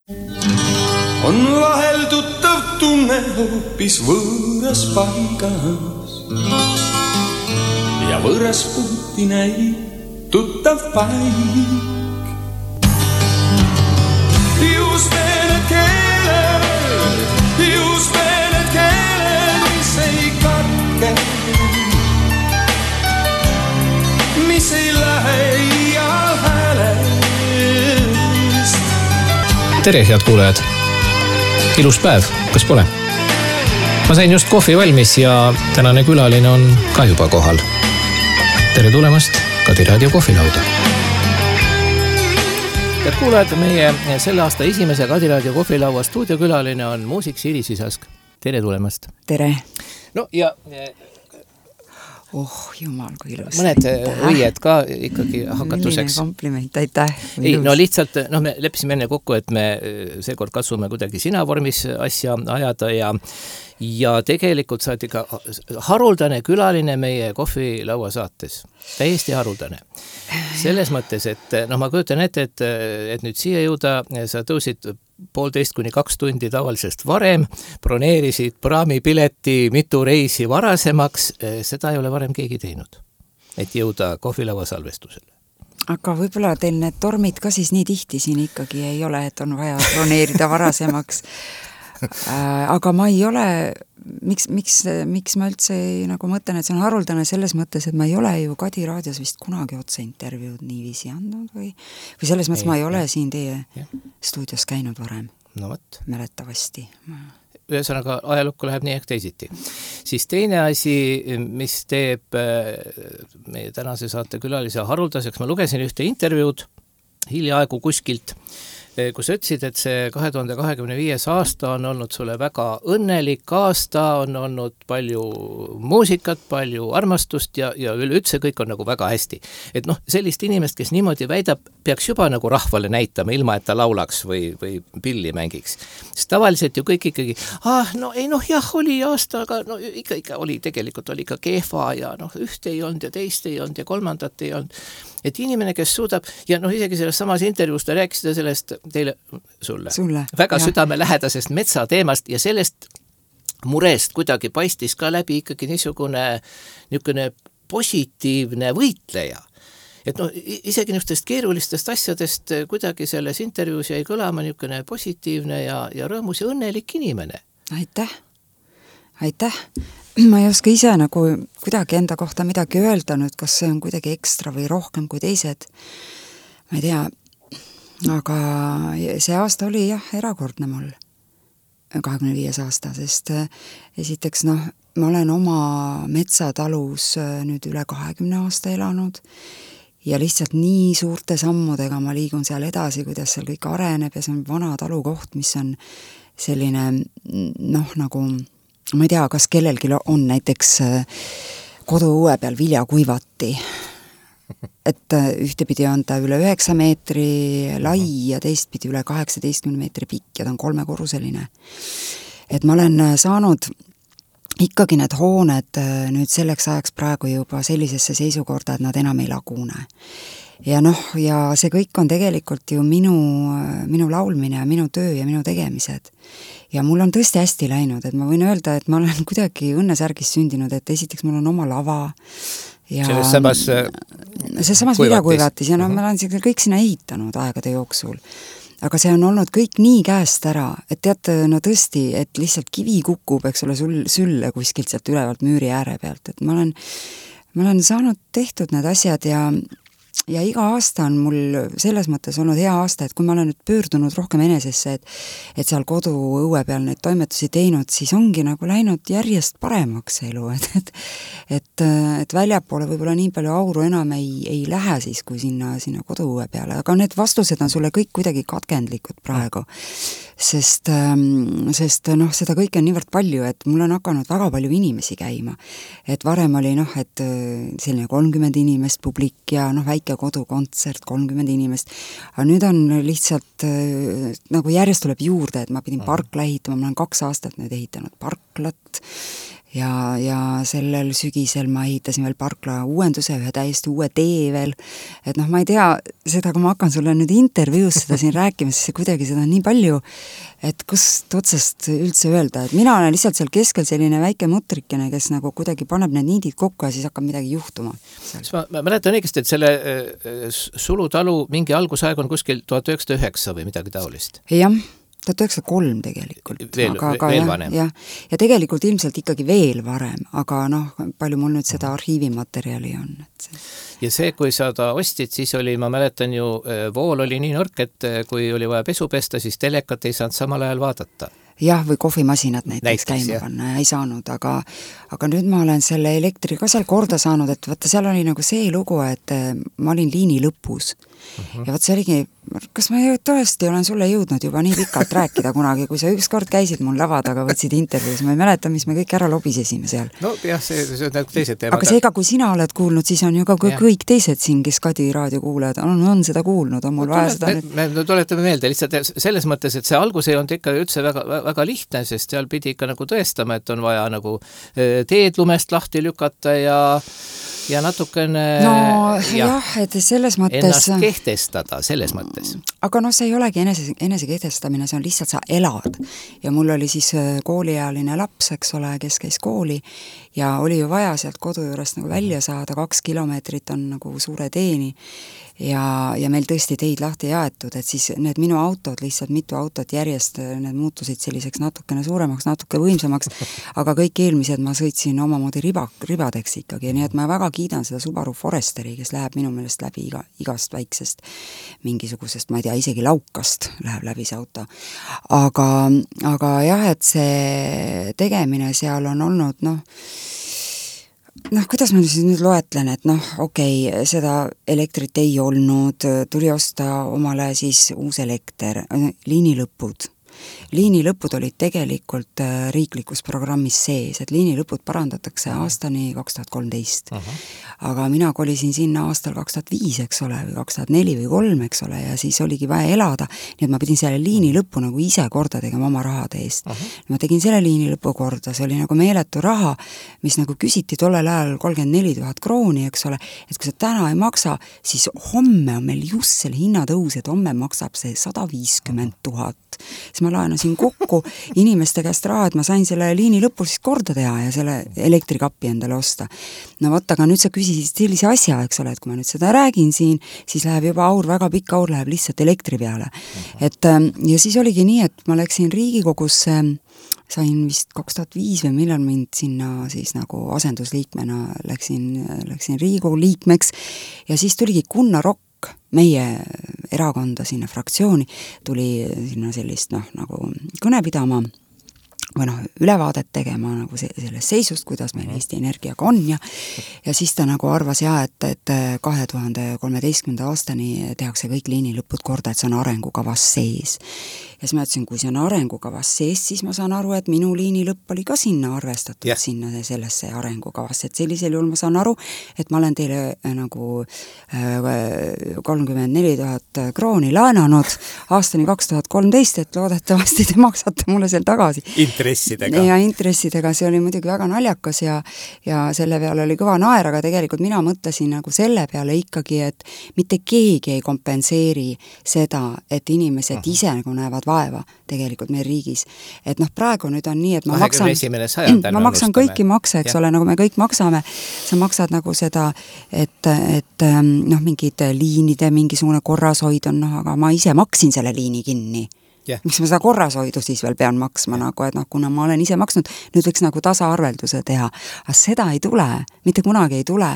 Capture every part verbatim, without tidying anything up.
On vahel tuttav tunne hoopis võõras paigas ja võõras puhti näib tuttav paik. Just need keeled, just need keeled, mis ei katke, mis ei lähe iial häälest. Tere, head kuulajad! Ilus päev, kas pole? Ma sain just kohvi valmis ja tänane külaline on ka juba kohal. Tere tulemast Kadi Raadio kohvilauda! Head kuulajad, meie selle aasta esimese Kadi Raadio kohvilaua stuudiokülaline on muusik Siiri Sisask. Tere tulemast! Tere! No ja... Oh, jumal, kui ilus. Mõned õied ka ikkagi hakatuseks. Milline kompliment, aitäh. Ei, no lihtsalt, no me leppisime enne kokku, et me seekord katsume kuidagi sina vormis asja ajada ja, ja tegelikult sa oled ikka haruldane külaline meie kohvilaua saates. Täiesti haruldane. Selles mõttes, et no ma kujutan ette, et, et nüüd siia jõuda, sa tõusid poolteist kuni kaks tundi tavalisest varem, broneerisid praamipileti mitu reisi varasemaks, seda ei ole varem keegi teinud, et jõuda kohvilaua salvestusele. Aga võib-olla teil need tormid ka siis nii tihti siin ikkagi ei ole, et on vaja broneerida varasemaks. Aga ma ei ole, miks, miks, miks ma üldse nagu mõtlen, et see on haruldane selles mõttes, et ma ei ole ju Kadi Raadios vist kunagi otse intervjuud niiviisi andnud või, või selles mõttes ei, ma ei ole ja. siin teie ja. stuudios käinud varem. No võt. Mäletavasti. Ühesõnaga ajalukku läheb nii ehk teisiti. Siis teine asi, mis teeb meie tänase saate külalise haruldaseks, ma lugesin ühte intervjuud hiljaaegu kuskilt, kus ütlesid, et see kahe tuhande kahekümne viies aasta on olnud sulle väga õnnelik aasta, on olnud palju muusikat, palju armastust ja, ja üleüldse kõik on nagu väga hästi. Et noh, sellist inimest, kes niimoodi väidab, peaks juba nagu rahvale näitama, ilma et ta laulaks või, või pilli mängiks. Sest tavaliselt ju kõik ikkagi, ah, no ei noh, jah, oli aasta, aga no ikka, ikka oli, tegelikult oli ikka kehva ja noh, ühte ei olnud ja teist ei olnud ja kolmandat ei olnud. Et inimene, kes suudab, ja noh, isegi selles samas intervjuus ta rääkis sellest teile, sulle, sulle väga ja. südame lähedasest metsateemast ja sellest murest kuidagi paistis ka läbi ikkagi niisugune, niisugune positiivne võitleja. Et noh, isegi niisugustest keerulistest asjadest kuidagi selles intervjuus jäi kõlama niisugune positiivne ja, ja rõõmus ja õnnelik inimene. Aitäh, aitäh. Ma ei oska ise nagu kuidagi enda kohta midagi öelda nüüd, kas see on kuidagi ekstra või rohkem kui teised. Ma ei tea, aga see aasta oli jah erakordne mul, kahekümne viies aasta, sest esiteks noh, ma olen oma metsatalus nüüd üle kahekümne aasta elanud ja lihtsalt nii suurte sammudega ma liigun seal edasi, kuidas seal kõik areneb ja see on vana talukoht, mis on selline noh, nagu ma ei tea, kas kellelgi on näiteks koduõue peal viljakuivati. Et ühtepidi on ta üle üheksa meetri lai ja teistpidi üle kaheksateistkümne meetri pikk ja ta on kolmekorruseline. Et ma olen saanud ikkagi need hooned nüüd selleks ajaks praegu juba sellisesse seisukorda, et nad enam ei lagune. Ja noh, ja see kõik on tegelikult ju minu, minu laulmine ja minu töö ja minu tegemised. Ja mul on tõesti hästi läinud, et ma võin öelda, et ma olen kuidagi õnnesärgis sündinud, et esiteks mul on oma lava. Ja selles samas see samas viljakuivatis ja no ma olen kõik sinna ehitanud aegade jooksul. Aga see on olnud kõik nii käest ära, et teate, no tõesti, et lihtsalt kivi kukub, eks ole, sul, sülle kuskilt sealt ülevalt müüri ääre pealt. Et ma olen, ma olen saanud tehtud need asjad ja Ja iga aasta on mul selles mõttes olnud hea aasta, et kui ma olen nüüd pöördunud rohkem enesesse, et, et seal kodu õue peal neid toimetusi teinud, siis ongi nagu läinud järjest paremaks elu, et, et, et, et väljapoole võib-olla nii palju auru enam ei, ei lähe siis, kui sinna, sinna kodu õue peale, aga need vastused on sulle kõik kuidagi katkendlikud praegu, sest, sest noh, seda kõike on niivõrd palju, et mul on hakanud väga palju inimesi käima, et varem oli noh, et selline kolmkümmend inimest publik ja noh, väike kodukontsert, kolmkümmend inimest, aga nüüd on lihtsalt nagu järjest tuleb juurde, et ma pidin parkla ehitama, ma olen kaks aastat nüüd ehitanud parklat ja, ja sellel sügisel ma ehitasin veel parkla uuenduse, ühe täiesti uue tee veel, et noh, ma ei tea, seda, kui ma hakkan sulle nüüd intervjuus seda siin rääkima, siis kuidagi seda on nii palju, et kust otsast üldse öelda, et mina olen lihtsalt seal keskel selline väike mutrikene, kes nagu kuidagi paneb need niidid kokku ja siis hakkab midagi juhtuma. Ma, ma mäletan õigesti, et selle äh, Sulutalu mingi algusaeg on kuskil tuhat üheksasada üheksa või midagi taolist. Jah, tuhat üheksasada kolm tegelikult. Veel, aga, aga, veel jah, vanem. Ja, ja tegelikult ilmselt ikkagi veel varem, aga noh, palju mul nüüd seda arhiivimaterjali on. Et see... Ja see, kui sa ta ostid, siis oli, ma mäletan ju, vool oli nii nõrk, et kui oli vaja pesu pesta, siis telekat ei saanud samal ajal vaadata. Jah, või kohvimasinad näiteks, näiteks käima jah. panna ja ei saanud, aga, aga nüüd ma olen selle elektri ka seal korda saanud, et vaata, seal oli nagu see lugu, et ma olin liini lõpus uh-huh. ja vaat see oligi, kas ma tõesti olen sulle jõudnud juba nii pikalt rääkida kunagi, kui sa ükskord käisid mul lava taga, võtsid intervjuus, ma ei mäleta, mis me kõik ära lobisesime seal. No jah, see, see on nagu teised teemad. Aga seega, kui sina oled kuulnud, siis on ju ka ja. kõik teised siin, kes Kadi raadio kuulajad, on, on seda kuulnud, on mul no, vaja seda me, nüüd... Me, me tuletame meelde lihtsalt selles mõttes, et see algus ei olnud ikka üldse väga, väga lihtne, sest seal pidi ikka nagu tõestama, et on vaja nagu teed lumest lahti lükata ja ja natukene no ja, jah, et selles mõttes ennast kehtestada, selles mõttes. Aga noh, see ei olegi enese, enese kehtestamine, see on lihtsalt sa elad. Ja mul oli siis kooliealine laps, eks ole, kes käis kooli ja oli ju vaja sealt kodu juurest nagu välja saada, kaks kilomeetrit on nagu suure teeni ja, ja meil tõesti teid lahti jaetud, et siis need minu autod, lihtsalt mitu autot järjest, need muutusid selliseks natukene suuremaks, natuke võimsamaks, aga kõik eelmised ma sõitsin omamoodi riba, ribadeks ikkagi, nii et ma väga kiidan seda Subaru Foresteri, kes läheb minu meelest läbi iga, igast väiksest mingisugusest, ma ei tea, isegi laukast läheb läbi see auto. Aga, aga jah, et see tegemine seal on olnud, noh, noh, kuidas ma siis nüüd loetlen, et noh, okei, okay, seda elektrit ei olnud, tuli osta omale siis uus elekter, liinilõpud. Liinilõpud olid tegelikult riiklikus programmis sees, et liinilõpud parandatakse aastani kaks tuhat kolmteist. Uh-huh. Aga mina kolisin sinna aastal kaks tuhat viis, eks ole, või kaks tuhat neli või kolm, eks ole, ja siis oligi vaja elada, nii et ma pidin selle liinilõpu nagu ise korda tegema oma rahade eest. Uh-huh. Ma tegin selle liinilõpu korda, see oli nagu meeletu raha, mis nagu küsiti tollel ajal kolmkümmend neli tuhat krooni, eks ole, et kui sa täna ei maksa, siis homme on meil just selle hinnatõus, et homme maksab see sada viiskümmend tuhat. Siis ma laenasin kokku inimeste käest raha, et ma sain selle liini lõpul siis korda teha ja selle elektrikappi endale osta. No võt, aga nüüd sa küsisid sellise asja, eks ole, et kui ma nüüd seda räägin siin, siis läheb juba aur, väga pikk aur läheb lihtsalt elektri peale. Et, ja siis oligi nii, et ma läksin Riigikogusse, sain vist kaks tuhat viis või millal mind sinna siis nagu asendusliikmena läksin, läksin Riigikogu liikmeks ja siis tuligi Gunnar Rokk, meie erakonda sinna fraktsiooni, tuli sinna sellist noh, nagu kõne pidama või noh, ülevaadet tegema nagu se- sellest seisust, kuidas meil Eesti Energiaga on ja ja siis ta nagu arvas ja, et, et kahe tuhande kolmeteistkümnenda aastani tehakse kõik liinilõpud korda, et see on arengukavas sees. Ja siis ma ütlesin, kui see on arengukavas sees, siis ma saan aru, et minu liinilõpp oli ka sinna arvestatud, yeah. sinna sellesse arengukavasse, et sellisel juhul ma saan aru, et ma olen teile nagu kolmkümmend neli tuhat krooni laenanud aastani kaks tuhat kolmteist, et loodetavasti te maksate mulle seal tagasi. Intressidega. Ja intressidega, see oli muidugi väga naljakas ja, ja selle peale oli kõva naer, aga tegelikult mina mõtlesin nagu selle peale ikkagi, et mitte keegi ei kompenseeri seda, et inimesed uh-huh. ise nagu näevad vaeva tegelikult meie riigis. Et noh, praegu nüüd on nii, et ma maksan, ma maksan kõiki makse, eks ja. ole, nagu me kõik maksame, sa maksad nagu seda, et, et noh, mingid liinide, mingisugune korrashoid on, noh, aga ma ise maksin selle liini kinni. Yeah. Miks ma seda korrashoidu siis veel pean maksma yeah. nagu, et noh, kuna ma olen ise maksnud, nüüd võiks nagu tasaarvelduse teha. Aga seda ei tule, mitte kunagi ei tule.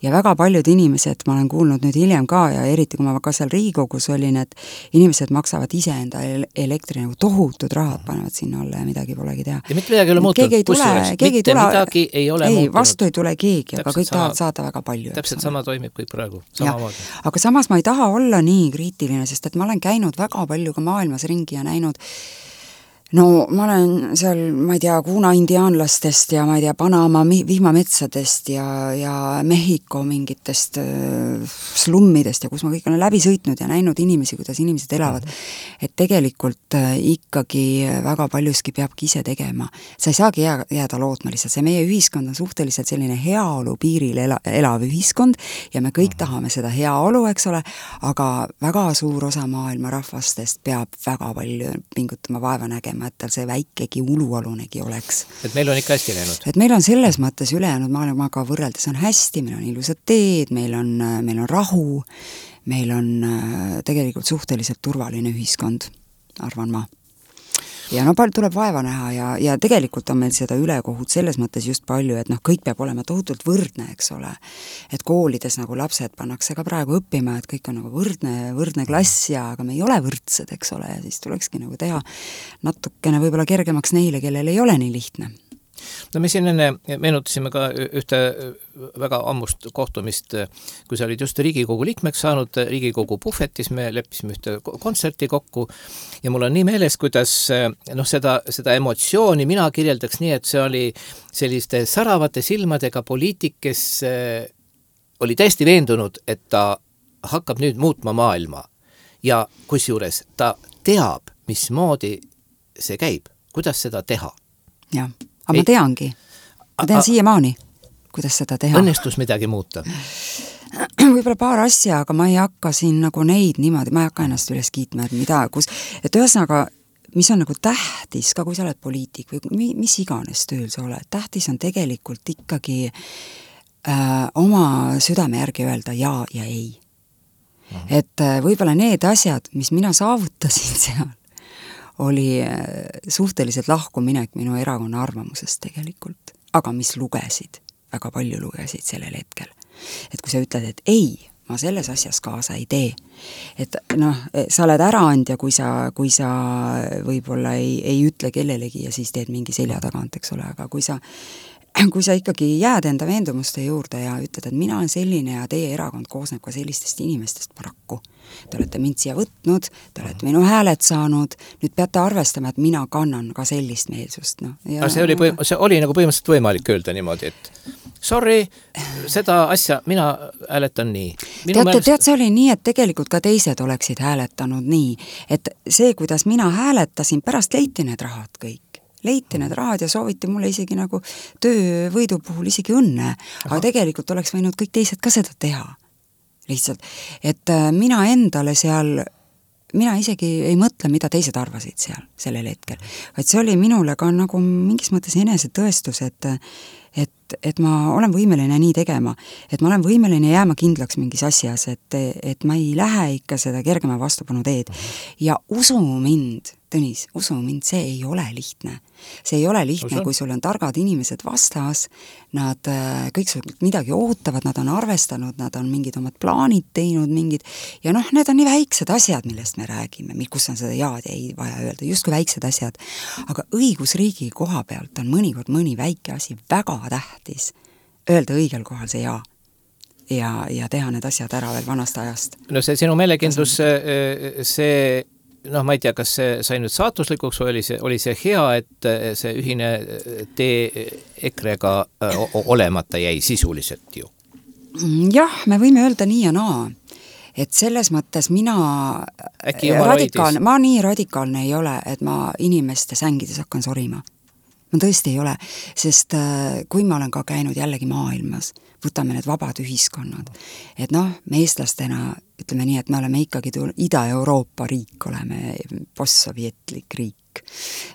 Ja väga paljud inimesed, ma olen kuulnud nüüd hiljem ka ja eriti kui ma ka seal Riigikogus olin, et inimesed maksavad ise enda elektri nagu tohutud rahad, panevad sinna alla ja midagi polegi teha. Ja mitte midagi ei ole muutunud. Keegi ei tule, keegi ei tule, midagi ei ole ei, muutunud. Vastu ei tule keegi, aga kõik sama, tahavad saada väga palju. Täpselt sama toimib kõik praegu. Aga samas ma ei taha olla nii kriitiline, sest et ma olen käinud väga palju ka maailmas ringi ja näinud no ma olen seal, ma ei tea, Kuna indiaanlastest ja ma ei tea, Panama vihmametsadest ja, ja Mehhiko mingitest äh, slummidest ja kus ma kõik olen läbi sõitnud ja näinud inimesi, kuidas inimesed elavad. Et tegelikult äh, ikkagi väga paljuski peabki ise tegema. Sa ei saagi jää, jääda lootma lihtsalt. See meie ühiskond on suhteliselt selline heaolu piiril ela, elav ühiskond ja me kõik tahame seda heaolu, eks ole, aga väga suur osa maailma rahvastest peab väga palju pingutama, vaeva nägema, et tal see väikegi ulualunegi oleks. Et meil on ikka hästi läinud. Et meil on selles mõttes ülejäänud maailmaga võrreldes on hästi, meil on ilusad teed, meil on, meil on rahu, meil on tegelikult suhteliselt turvaline ühiskond, arvan ma. Ja no palju tuleb vaeva näha ja, ja tegelikult on meil seda ülekohut selles mõttes just palju, et noh, kõik peab olema tohutult võrdne, eks ole. Et koolides nagu lapsed pannakse ka praegu õppima, et kõik on nagu võrdne, võrdne klass ja aga me ei ole võrdsed, eks ole, ja siis tulekski nagu teha natukene võib-olla kergemaks neile, kellel ei ole nii lihtne. No me siin enne meenutasime ka ühte väga ammust kohtumist, kui sa olid just Riigikogu liikmeks saanud, Riigikogu puhvetis me leppisime ühte kontserti kokku ja mul on nii meeles, kuidas noh, seda, seda emotsiooni mina kirjeldaks nii, et see oli selliste säravate silmadega poliitik, kes oli täiesti veendunud, et ta hakkab nüüd muutma maailma ja kusjuures ta teab, mismoodi see käib, kuidas seda teha. Jah. Aga ma teangi. Ma tean siiamaani, kuidas seda teha. Õnnestus midagi muuta? Võib-olla paar asja, aga ma ei hakka siin nagu neid niimoodi, ma ei hakka ennast üles kiitma, et mida, kus, et ühesõnaga, mis on nagu tähtis, ka kui sa oled poliitik või mis iganes tööl sa oled, tähtis on tegelikult ikkagi äh, oma südame järgi öelda ja ja ei. Aha. Et äh, võib-olla need asjad, mis mina saavutasin seal, oli suhteliselt lahkuminek minu erakonna arvamusest tegelikult, aga mis lugesid, väga palju lugesid sellel hetkel. Et kui sa ütled, et ei, ma selles asjas kaasa ei tee, et noh, sa oled äraandja, kui sa, kui sa võib-olla ei, ei ütle kellelegi ja siis teed mingi selja tagant, eks ole, aga kui sa kui sa ikkagi jääd enda veendumuste juurde ja ütled, et mina olen selline ja teie erakond koosneb ka sellistest inimestest paraku. Te olete mind siia võtnud, te olete minu hääled saanud, nüüd peate arvestama, et mina kannan ka sellist meelsust. No. Ja, see, oli põim- see oli nagu põhimõtteliselt võimalik öelda niimoodi, et sorry, seda asja mina hääletan nii. Minu tead, meelest... tead, see oli nii, et tegelikult ka teised oleksid hääletanud nii, et see, kuidas mina hääletasin, pärast leiti need rahad kõik. Leiti need rahad ja sooviti mulle isegi nagu töövõidu puhul isegi õnne, aga Aha. tegelikult oleks võinud kõik teised ka seda teha. Lihtsalt, et mina endale seal, mina isegi ei mõtle, mida teised arvasid seal sellel hetkel, vaid see oli minule ka nagu mingis mõttes enese tõestus, et et, et ma olen võimeline nii tegema, et ma olen võimeline jääma kindlaks mingis asjas, et, et ma ei lähe ikka seda kergema vastupanu teed ja usu mind, Tõnis, usu mind, see ei ole lihtne. See ei ole lihtne, kui sul on targad inimesed vastas, nad kõik sult midagi ootavad, nad on arvestanud, nad on mingid omad plaanid teinud, mingid, ja noh, need on nii väiksed asjad, millest me räägime, kus on seda jaad ja ei vaja öelda, just kui väiksed asjad. Aga õigusriigi koha pealt on mõnikord mõni väike asi väga tähtis öelda õigel kohal see jaa. Ja, ja teha need asjad ära veel vanast ajast. No see sinu meelekindlus, see, see noh, ma ei tea, kas see sai nüüd saatuslikuks või oli see, oli see hea, et see ühine tee EKRE-ga olemata jäi sisuliselt ju? Jah, me võime öelda nii ja naa, et selles mõttes mina radikaalne, ma nii radikaalne ei ole, et ma inimeste sängides hakkan sorima. Ma tõesti ei ole, sest kui ma olen ka käinud jällegi maailmas, võtame need vabad ühiskonnad, et noh, me eestlastena ütleme nii, et me oleme ikkagi Ida-Euroopa riik, oleme postsovjetlik riik.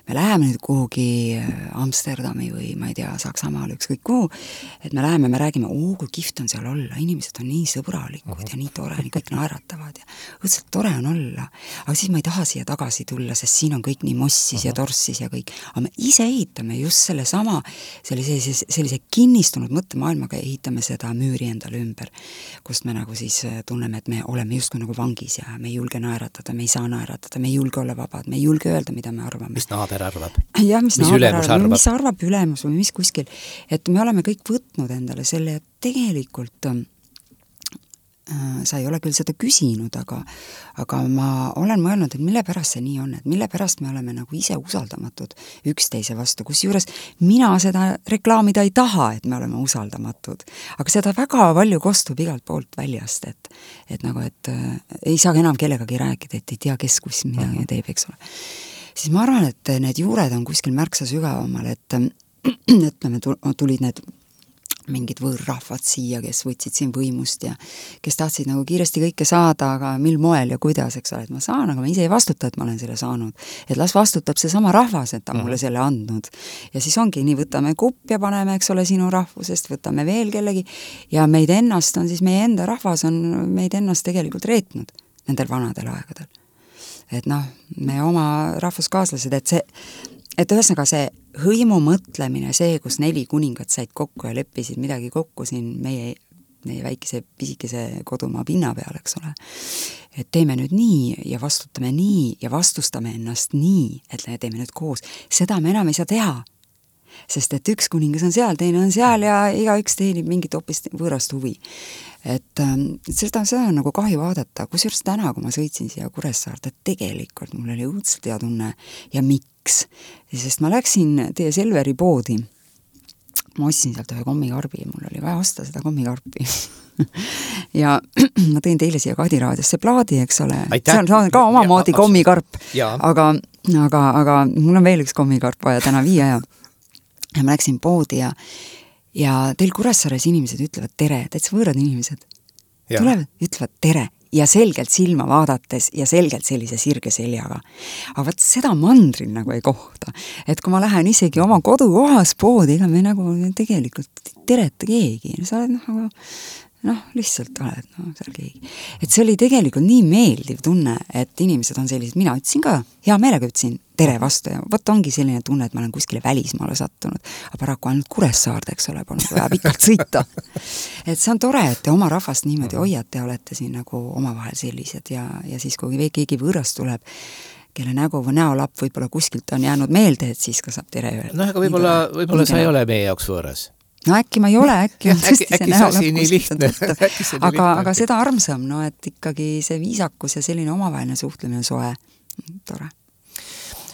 Me läheme nüüd kuhugi Amsterdami või ma ei tea, Saksamaal ükskõik kuhu, et me läheme, me räägime, oo, kui kihvt on seal olla, inimesed on nii sõbralikud uh-huh. ja nii tore, nii kõik naeratavad ja õudselt tore on olla. Aga siis ma ei taha siia tagasi tulla, sest siin on kõik nii mossis uh-huh. ja torssis ja kõik. Aga me ise ehitame just selle sama, sellise, sellise kinnistunud mõttemaailmaga ehitame seda müüri endale ümber, kust me nagu siis tunneme, et me oleme justkui nagu vangis ja me ei julge naeratada, me ei saa naeratada, me ei julge olla vabad, me ei julge öelda, mida me arvame. Mis naaber arvab? Ja, mis, mis ülemus arvab? Mis arvab ülemus või mis kuskil. Et me oleme kõik võtnud endale selle, et tegelikult sa ei ole küll seda küsinud, aga aga ma olen mõelnud, et mille pärast see nii on, et mille pärast me oleme nagu ise usaldamatud üksteise vastu, kusjuures mina seda reklaamida ei taha, et me oleme usaldamatud, aga seda väga palju kostub igalt poolt väljast, et et nagu, et äh, ei saa enam kellegagi rääkida, et ei tea, kes kus midagi teeb, eks ole. Siis ma arvan, et need juured on kuskil märksa sügavamal, et ütleme, tulid need mingid võõrrahvad siia, kes võtsid siin võimust ja kes tahtsid nagu kiiresti kõike saada, aga mil moel ja kuidas, eks ole, et ma saan, aga ma ise ei vastuta, et ma olen selle saanud. Et las vastutab see sama rahvas, et ta mulle selle andnud. Ja siis ongi nii, võtame kupp ja paneme, eks ole, sinu rahvusest, võtame veel kellegi ja meid ennast on siis, meie enda rahvas on meid ennast tegelikult reetnud nendel vanadel aegadel. Et noh, me oma rahvuskaaslased, et see et ühesõnaga see hõimu mõtlemine, see, kus neli kuningat said kokku ja leppisid midagi kokku siin meie, meie väikese pisikese kodumaa pinna peal, eks ole. Et teeme nüüd nii ja vastutame nii ja vastustame ennast nii, et teeme nüüd koos. Seda me enam ei saa teha, sest et üks kuningas on seal, teine on seal ja igaüks teenib mingit hoopis võõrast huvi. Et seda, seda on nagu kahju vaadata, kusjuures täna, kui ma sõitsin siia Kuressaarde, tegelikult mul oli õudselt hea tunne ja miks? Sest ma läksin teie Selveri poodi, ma ostsin sealt ühe kommikarbi, mul oli vaja osta seda kommikarpi ja ma tõin teile siia Kadiraadiosse plaadi, eks ole, seal on ka omamoodi kommikarp, aga, aga, aga mul on veel üks kommikarp vaja täna viia ja, ja ma läksin poodi ja ja teil Kuressaares inimesed ütlevad tere, täitsa võõrad inimesed. Ja. Tulevad, ütlevad tere ja selgelt silma vaadates ja selgelt sellise sirge seljaga. Aga vaat seda mandril nagu ei kohta. Et kui ma lähen isegi oma kodukohas poodi, ega me nagu tegelikult tereta keegi. Sa oled noh, noh, lihtsalt oled no, seal keegi. Et see oli tegelikult nii meeldiv tunne, et inimesed on sellised, mina ütlesin ka, hea meelega ütlesin tere vastu ja võt ongi selline tunne, et ma olen kuskile välismaale sattunud, aga paraku ainult Kuressaarde, eks ole, polnud vaja pikalt sõita. Et see on tore, et te oma rahvast niimoodi hoiate ja olete siin nagu omavahel sellised ja, ja siis kui keegi võõras tuleb, kelle nägu või näolapp võib-olla kuskilt on jäänud meelde, et siis ka saab tere öelda. No aga võib-olla, võib-olla sa ei ole meie jaoks võõras. No äkki ma ei ole, äkki on äkki, äkki see asi nii lihtne. aga, aga seda armsam, no et ikkagi see viisakus ja selline omavaheline suhtlemine soe, tore.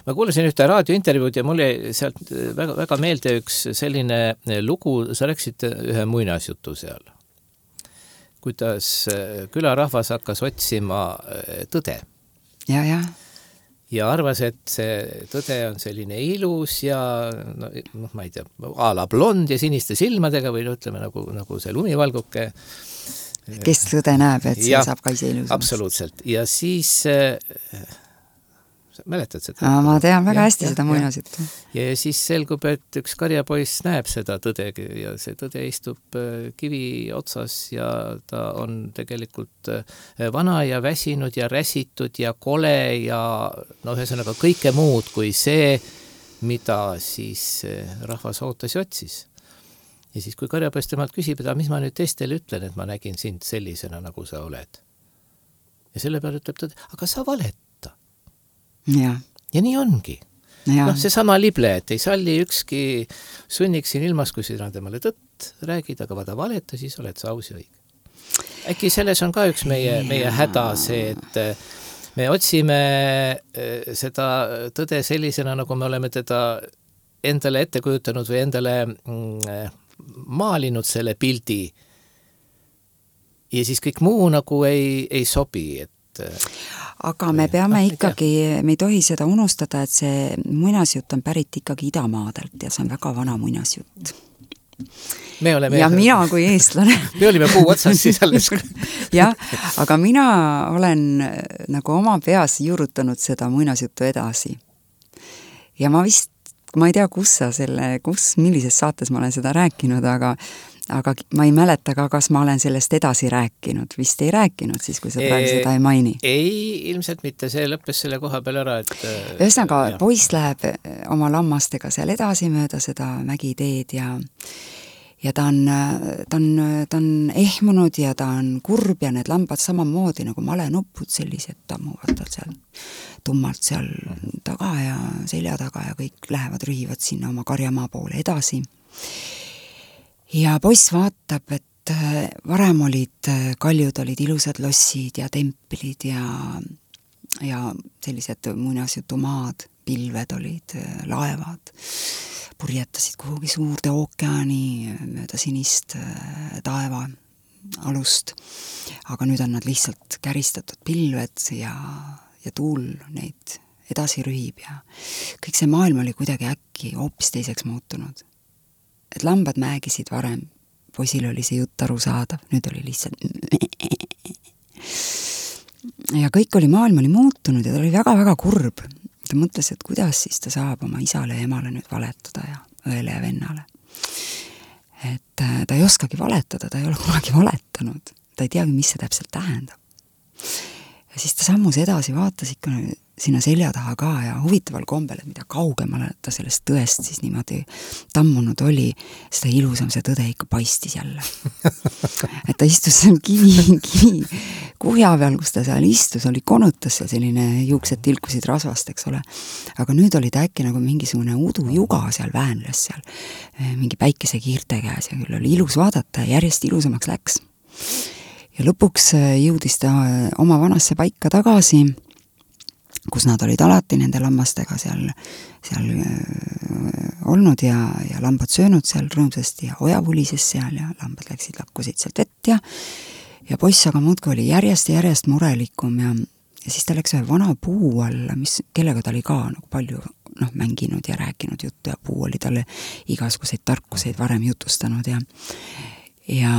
Ma kuulasin ühte raadiointervjuud ja mulle sealt väga, väga meelde üks selline lugu, sa rääksid ühe muinasjutu seal, kuidas külarahvas hakkas otsima tõde. Ja, ja. Ja arvas, et see tõde on selline ilus ja no, noh, ma ei tea, a la blond ja siniste silmadega või ütleme nagu, nagu see lumivalguke. Kes tõde näeb, et see ja, saab ka ise ilus. Absoluutselt. Ja siis äh, mäletad seda? Aa, ma tean väga ja, hästi ja, seda muinasjuttu. Ja, ja siis selgub, et üks karjapoiss näeb seda tõde ja see tõde istub kivi otsas ja ta on tegelikult vana ja väsinud ja räsitud ja kole ja no ühesõnaga kõike muud kui see, mida siis rahvas ootas ja otsis. Ja siis kui karjapoiss temalt küsib, et mis ma nüüd teistele ütlen, et ma nägin sind sellisena, nagu sa oled. Ja selle peale ütleb tõde, aga sa valet. Ja. ja nii ongi. Noh, see sama lible, et ei salli ükski sunniks siin ilmas, kui sina temale tõtt räägid, aga vada valeta, siis oled sa aus ja õige. Äkki selles on ka üks meie, meie häda see, et me otsime seda tõde sellisena, nagu me oleme teda endale ette kujutanud või endale maalinud selle pildi. Ja siis kõik muu nagu ei, ei sobi, et aga me peame no, ikkagi, me ei tohi seda unustada, et see muinasjutt on pärit ikkagi idamaadelt ja see on väga vana muinasjutt. Me oleme... Ja mina kui eestlane. Me olime puu otsas siis alles. jah, aga mina olen nagu oma peas juurutanud seda muinasjuttu edasi. Ja ma vist, ma ei tea, kus sa selle, kus, millises saates ma olen seda rääkinud, aga aga ma ei mäleta ka, kas ma olen sellest edasi rääkinud. Vist ei rääkinud siis, kui sa praegu seda ei maini. Ei, ilmselt mitte. See lõppes selle koha peal ära, et... Ühesõnaga, poiss läheb oma lammastega seal edasi mööda seda mägiteed ja, ja ta on, ta, on, ta on ehmunud ja ta on kurb ja need lambad samamoodi nagu malenupud sellised tammuvad tal seal tummalt seal taga ja selja taga ja kõik lähevad, rühivad sinna oma karjamaa poole edasi. Ja poiss vaatab, et et varem olid kaljud, olid ilusad lossid ja templid ja, ja sellised muinasjutumaad, pilved olid, laevad, purjetasid kuhugi suurde ookeani mööda sinist taeva alust, aga nüüd on nad lihtsalt käristatud pilved ja, ja tuul neid edasi rühib ja kõik see maailm oli kuidagi äkki hoopis teiseks muutunud. Et lambad määgisid varem, poisil oli see jutt arusaadav, nüüd oli lihtsalt ja kõik oli, maailm oli muutunud ja ta oli väga-väga kurb. Ta mõtles, et kuidas siis ta saab oma isale ja emale nüüd valetada ja õele ja vennale. Et ta ei oskagi valetada, ta ei ole kunagi valetanud. Ta ei teagi, mis see täpselt tähendab. Ja siis ta sammus edasi, vaatas ikka sinna selja taha ka ja huvitaval kombel, et mida kaugemale ta sellest tõest siis niimoodi tammunud oli, seda ilusam see tõde ikka paistis jälle. Et ta istus seal kivi, kivi kuhja peal, kus ta seal istus, oli konutas seal selline juuksed tilkusid rasvast, eks ole. Aga nüüd oli ta äkki nagu mingisugune udujuga seal väänles seal, mingi päikese kiirte käes ja küll oli ilus vaadata ja järjest ilusamaks läks. Ja lõpuks jõudis ta oma vanasse paika tagasi, kus nad olid alati nende lammastega seal, seal olnud ja, ja lambad söönud seal rõõmsasti ja oja vulises seal ja lambad läksid, lakkusid sealt vett ja ja poiss aga muudki oli järjest ja järjest murelikum ja, ja siis ta läks ühe vana puu alla, mis, kellega ta oli ka nagu palju noh, mänginud ja rääkinud juttu ja puu oli talle igasuguseid tarkuseid varem jutustanud ja ja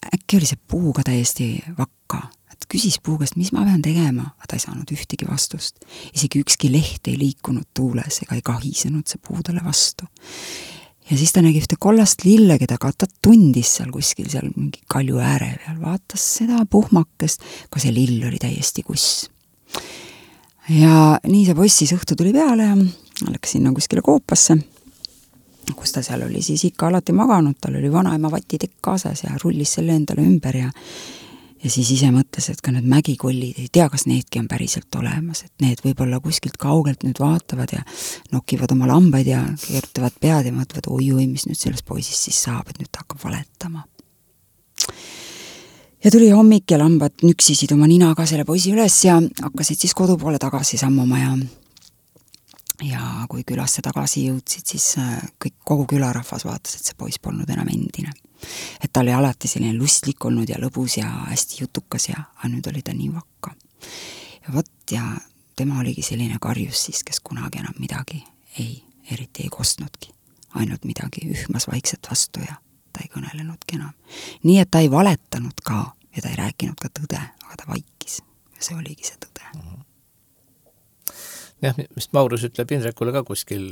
äkki oli see puu ka täiesti vakka, et küsis puu käest, mis ma pean tegema, aga ta ei saanud ühtegi vastust. Isegi ükski leht ei liikunud tuules ega ei kahisenud see puu talle vastu. Ja siis ta nägi ühte kollast lille, keda ka ta tundis seal kuskil, seal mingi kalju ääre peal, vaatas seda puhmakest, ka see lill oli täiesti kuss. Ja nii see poissis õhtu tuli peale ja läks sinna kuskile koopasse, kus ta seal oli siis ikka alati maganud, tal oli vanaema vatitekk kaasas ja rullis selle endale ümber ja ja siis ise mõtles, et ka need mägikollid, ei tea, kas needki on päriselt olemas, et need võib-olla kuskilt kaugelt nüüd vaatavad ja nokivad oma lambaid ja keerutavad pead ja mõtlevad, oi-oi, mis nüüd sellest poisist siis saab, et nüüd ta hakkab valetama. Ja tuli hommik ja lambad nüksisid oma ninaga selle poisi üles ja hakkasid siis kodu poole tagasi sammuma ja ja kui külasse tagasi jõudsid, siis kõik, kogu külarahvas vaatas, et see poiss polnud enam endine. Et ta oli alati selline lustlik olnud ja lõbus ja hästi jutukas ja aga nüüd oli ta nii vakka. Ja võt, ja tema oligi selline karjus siis, kes kunagi enam midagi ei, eriti ei kostnudki. Ainult midagi ühmas vaikselt vastu ja ta ei kõnelenudki enam. Nii, et ta ei valetanud ka ja ta ei rääkinud ka tõde, aga ta vaikis. Ja see oligi see tõde. Mm-hmm. Jah, mis Maurus ütleb Indrekule ka kuskil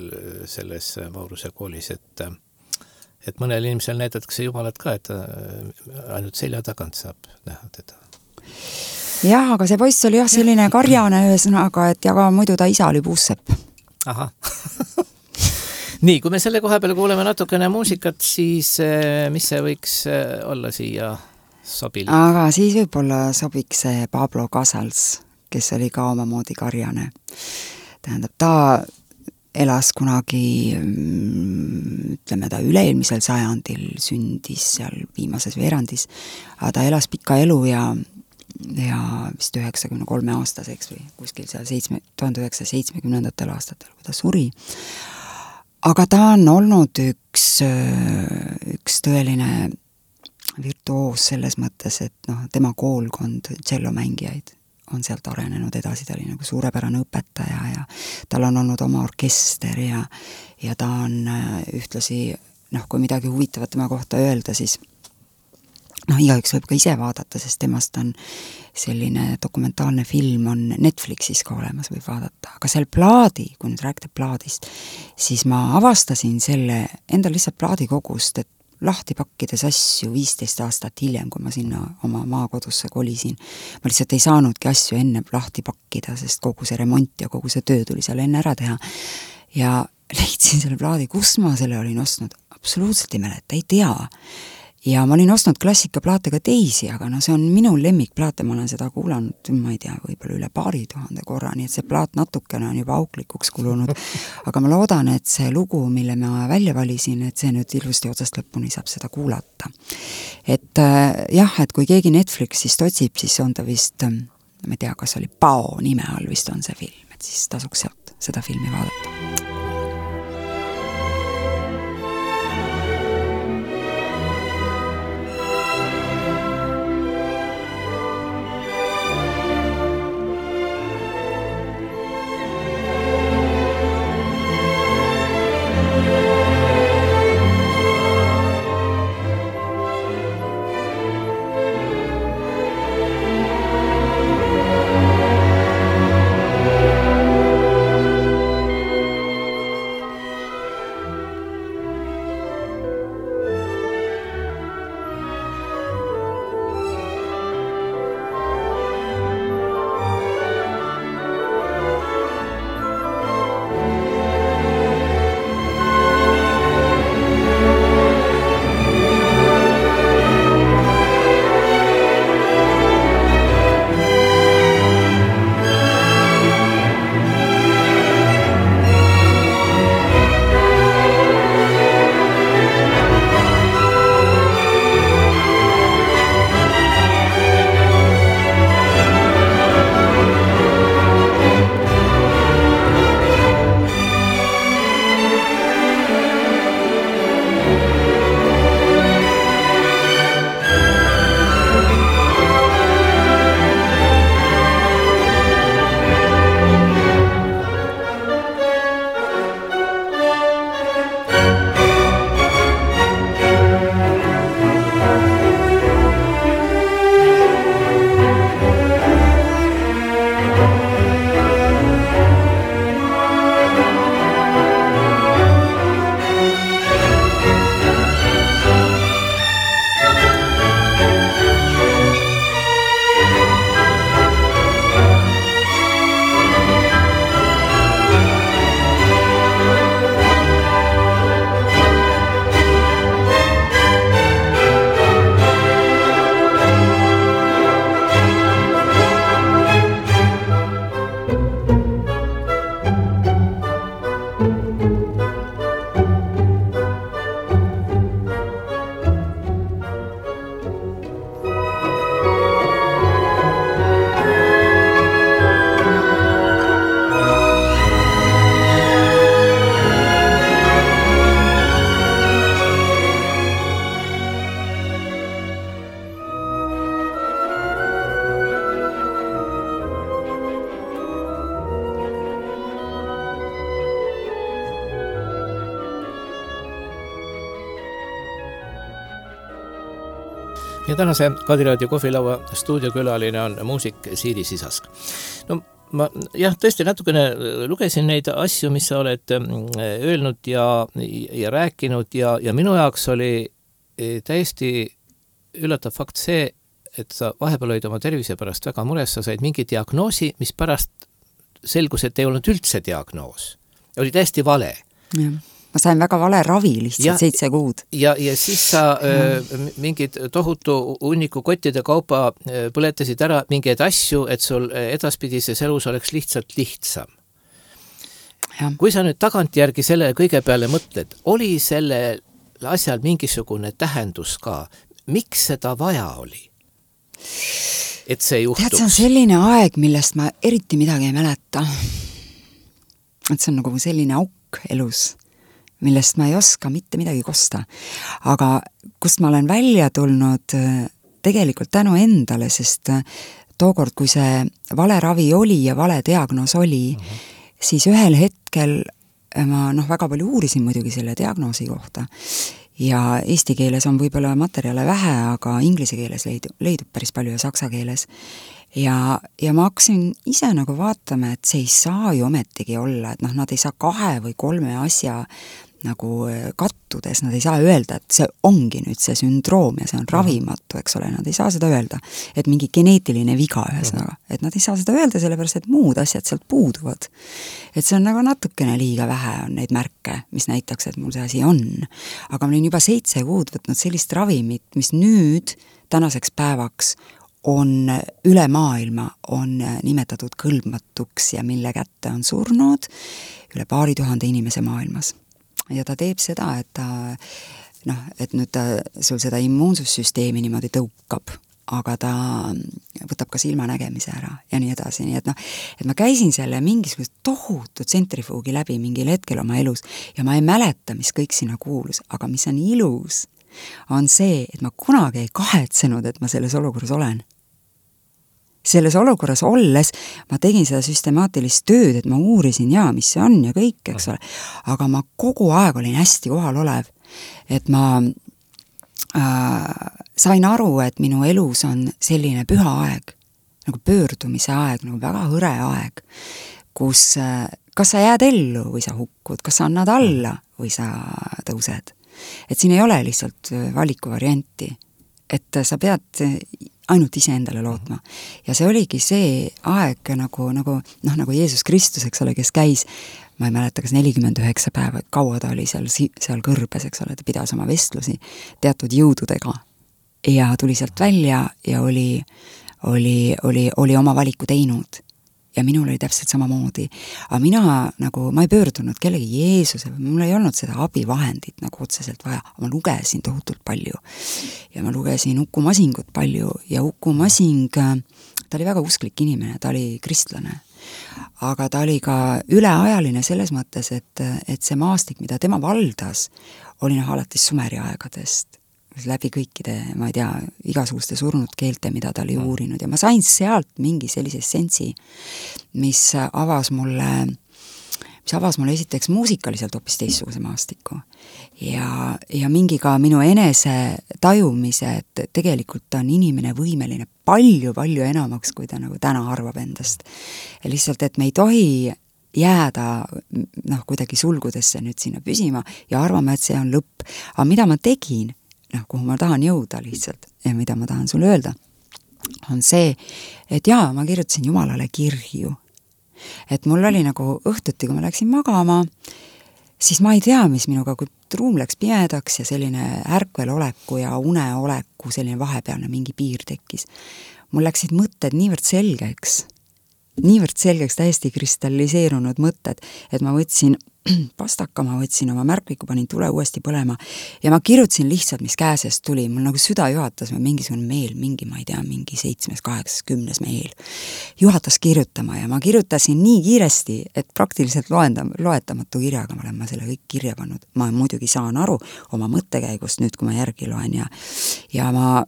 selles Mauruse koolis, et et mõnel inimesel näidatakse Jumalat ka, et ainult selja tagant saab näha teda. Jah, aga see poiss oli jah selline karjane ühesõnaga, et ja ka muidu ta isa oli puussepp. Aha. Nii, kui me selle koha peale kuuleme natukene muusikat, siis mis see võiks olla siia sobilik? Aga siis võib-olla sobiks see Pablo Casals, kes oli ka omamoodi karjane. Tähendab, ta elas kunagi, ütleme ta üleilmisel sajandil sündis seal viimases veerandis, aga ta elas pika elu ja, ja vist üheksakümne kolme aastaseks või kuskil seal seitsme, tuhande üheksasaja seitsmekümnendatel aastatel, kui ta suri. Aga ta on olnud üks, üks tõeline virtuoos selles mõttes, et noh, tema koolkond tšellomängijaid on sealt arenenud edasi, ta oli nagu suurepärane õpetaja ja tal on olnud oma orkester ja, ja ta on ühtlasi, noh, kui midagi huvitavat tema kohta öelda, siis noh, igaüks võib ka ise vaadata, sest temast on selline dokumentaalne film on Netflixis ka olemas, võib vaadata, aga seal plaadi, kui nüüd rääkida plaadist, siis ma avastasin selle enda lihtsalt plaadikogust, et lahti pakkides asju viisteist aastat hiljem, kui ma sinna oma maakodusse kolisin. Ma lihtsalt ei saanudki asju enne lahti pakkida, sest kogu see remont ja kogu see töö tuli seal enne ära teha. Ja leidsin selle plaadi, kus ma selle olin ostnud, absoluutselt ei mäleta, ei tea. ja ma olin ostnud klassikaplaate ka teisi, aga no see on minu lemmikplaat ja ma olen seda kuulanud, ma ei tea, võib-olla üle paari tuhande korra, nii et see plaat natukene on juba auklikuks kulunud. Aga ma loodan, et see lugu, mille ma välja valisin, et see nüüd ilusti otsast lõpuni saab seda kuulata. Et jah, et kui keegi Netflixist otsib, siis on ta vist, ma ei tea, kas oli Pao nime all vist on see film, et siis tasuks sealt seda filmi vaadata. Ja tänase Kadiraadio kohvilaua stuudiokülaline on muusik Siiri Sisask. No ma jah, tõesti natukene lugesin neid asju, mis sa oled öelnud ja, ja rääkinud ja, ja minu jaoks oli täiesti üllatav fakt see, et sa vahepeal olid oma tervise pärast väga mures, sa said mingi diagnoosi, mis pärast selgus, et ei olnud üldse diagnoos. Oli täiesti vale. Ja. Ma sain väga vale ravi lihtsalt ja, seitse kuud. Ja, ja siis sa öö, mingid tohutu hunniku kottide kaupa öö, põletasid ära mingeid asju, et sul edaspidises elus oleks lihtsalt lihtsam. Ja. Kui sa nüüd tagantjärgi selle kõige peale mõtled, oli selle asjal mingisugune tähendus ka? Miks seda vaja oli? Et see juhtuks? Tead, see on selline aeg, millest ma eriti midagi ei mäleta. Et see on nagu selline auk elus, millest ma ei oska mitte midagi kosta. Aga kust ma olen välja tulnud tegelikult tänu endale, sest tookord, kui see vale ravi oli ja vale diagnoos oli, mm-hmm. siis ühel hetkel ma noh, väga palju uurisin muidugi selle diagnoosi kohta. Ja eesti keeles on võib-olla materjale vähe, aga inglise keeles leidub, leidub päris palju ja saksa keeles. Ja, ja ma hakkasin ise nagu vaatama, et see ei saa ju ometigi olla, et noh, nad ei saa kahe või kolme asja nagu kattudes, nad ei saa öelda, et see ongi nüüd see sündroom ja see on ravimatu, eks ole, nad ei saa seda öelda, et mingi geneetiline viga ühesõnaga, et nad ei saa seda öelda, sellepärast et muud asjad sealt puuduvad. Et see on nagu natukene liiga vähe on neid märke, mis näitaks, et mul see asi on. Aga ma olin juba seitse kuud võtnud sellist ravimit, mis nüüd tänaseks päevaks on üle maailma on nimetatud kõlbmatuks ja mille kätte on surnud üle paari tuhande inimese maailmas. Ja ta teeb seda, et ta, noh, et nüüd ta sul seda immuunsussüsteemi niimoodi tõukab, aga ta võtab ka silmanägemise ära ja nii edasi, nii et noh, et ma käisin selle mingisugust tohutu tsentrifuugi läbi mingil hetkel oma elus ja ma ei mäleta, mis kõik sinna kuulus, aga mis on ilus, on see, et ma kunagi ei kahetsenud, et ma selles olukorras olen. Selles olukorras olles ma tegin seda süstemaatilist tööd, et ma uurisin ja mis see on ja kõik, eks ole, aga ma kogu aeg olin hästi kohal olev, et ma äh, sain aru, et minu elus on selline püha aeg, nagu pöördumise aeg, nagu väga hõre aeg, kus äh, kas sa jääd ellu või sa hukkud, kas sa annad alla või sa tõused. Et siin ei ole lihtsalt valikuvarianti, et sa pead ainult ise endale lootma. Ja see oligi see aeg nagu, nagu, noh, nagu Jeesus Kristus, eks ole, kes käis, ma ei mäleta, kas nelikümmend üheksa päeva, kaua ta oli seal, seal kõrbes, eks ole, ta pidas oma vestlusi teatud jõududega ja tuli sealt välja ja oli, oli, oli, oli oma valiku teinud. Ja minul oli täpselt samamoodi. Aga mina nagu, ma ei pöördunud kellegi Jeesuse, mul ei olnud seda abivahendit nagu otseselt vaja. Ma lugesin tohutult palju. Ja ma lugesin Uku Masingut palju ja Uku Masing, ta oli väga usklik inimene, ta oli kristlane. Aga ta oli ka üleajaline selles mõttes, et, et see maastik, mida tema valdas, oli noh alates Sumeri aegadest. Läbi kõikide, ma ei tea, igasuguste surnud keelte, mida ta oli uurinud ja ma sain sealt mingi sellise essensi, mis avas mulle, mis avas mulle esiteks muusikaliselt hoopis teistsuguse maastiku ja, ja mingi ka minu enese tajumise, et tegelikult on inimene võimeline palju-palju enamaks, kui ta nagu täna arvab endast. Ja lihtsalt, et me ei tohi jääda noh, kuidagi sulgudesse nüüd sinna püsima ja arvama, et see on lõpp. Aga mida ma tegin, noh, kuhu ma tahan jõuda lihtsalt ja mida ma tahan sulle öelda, on see, et jaa, ma kirjutasin Jumalale kirju. Et mul oli nagu õhtuti, kui ma läksin magama, siis ma ei tea, mis minuga, kui ruum läks pimedaks ja selline ärkveloleku ja uneoleku selline vahepealne mingi piir tekkis. Mul läksid mõtted niivõrd selgeks, niivõrd selgeks täiesti kristalliseerunud mõtted, et ma võtsin pastaka, ma võtsin oma märkviku, panin tule uuesti põlema ja ma kirjutasin lihtsalt, mis käesest tuli. Mul nagu süda juhatas või mingisugune meel, mingi, ma ei tea, mingi seitsmes, kaheksas, kümnes meel. Juhatas kirjutama ja ma kirjutasin nii kiiresti, et praktiliselt loenda, loetamatu kirjaga ma olen ma selle kõik kirja pannud. Ma muidugi saan aru oma mõttekäigust nüüd, kui ma järgi loen ja, ja ma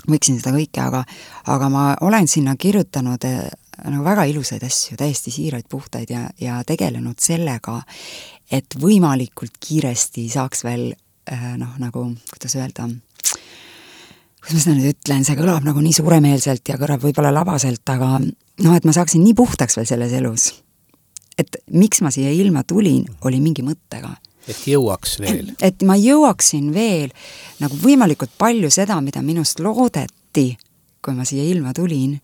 võiksin seda kõike, aga, aga ma olen sinna kirjutanud nagu väga ilusaid asju, täiesti siiraid, puhtaid ja, ja tegelenud sellega, et võimalikult kiiresti saaks veel noh, nagu, kuidas öelda, kuidas ma seda nüüd ütlen, see kõlab nagu nii suuremeelselt ja kõlab võib-olla labaselt, aga noh, et ma saaksin nii puhtaks veel selles elus. Et miks ma siia ilma tulin, oli mingi mõttega. Et jõuaks veel. Et ma jõuaksin veel nagu võimalikult palju seda, mida minust loodeti, kui ma siia ilma tulin,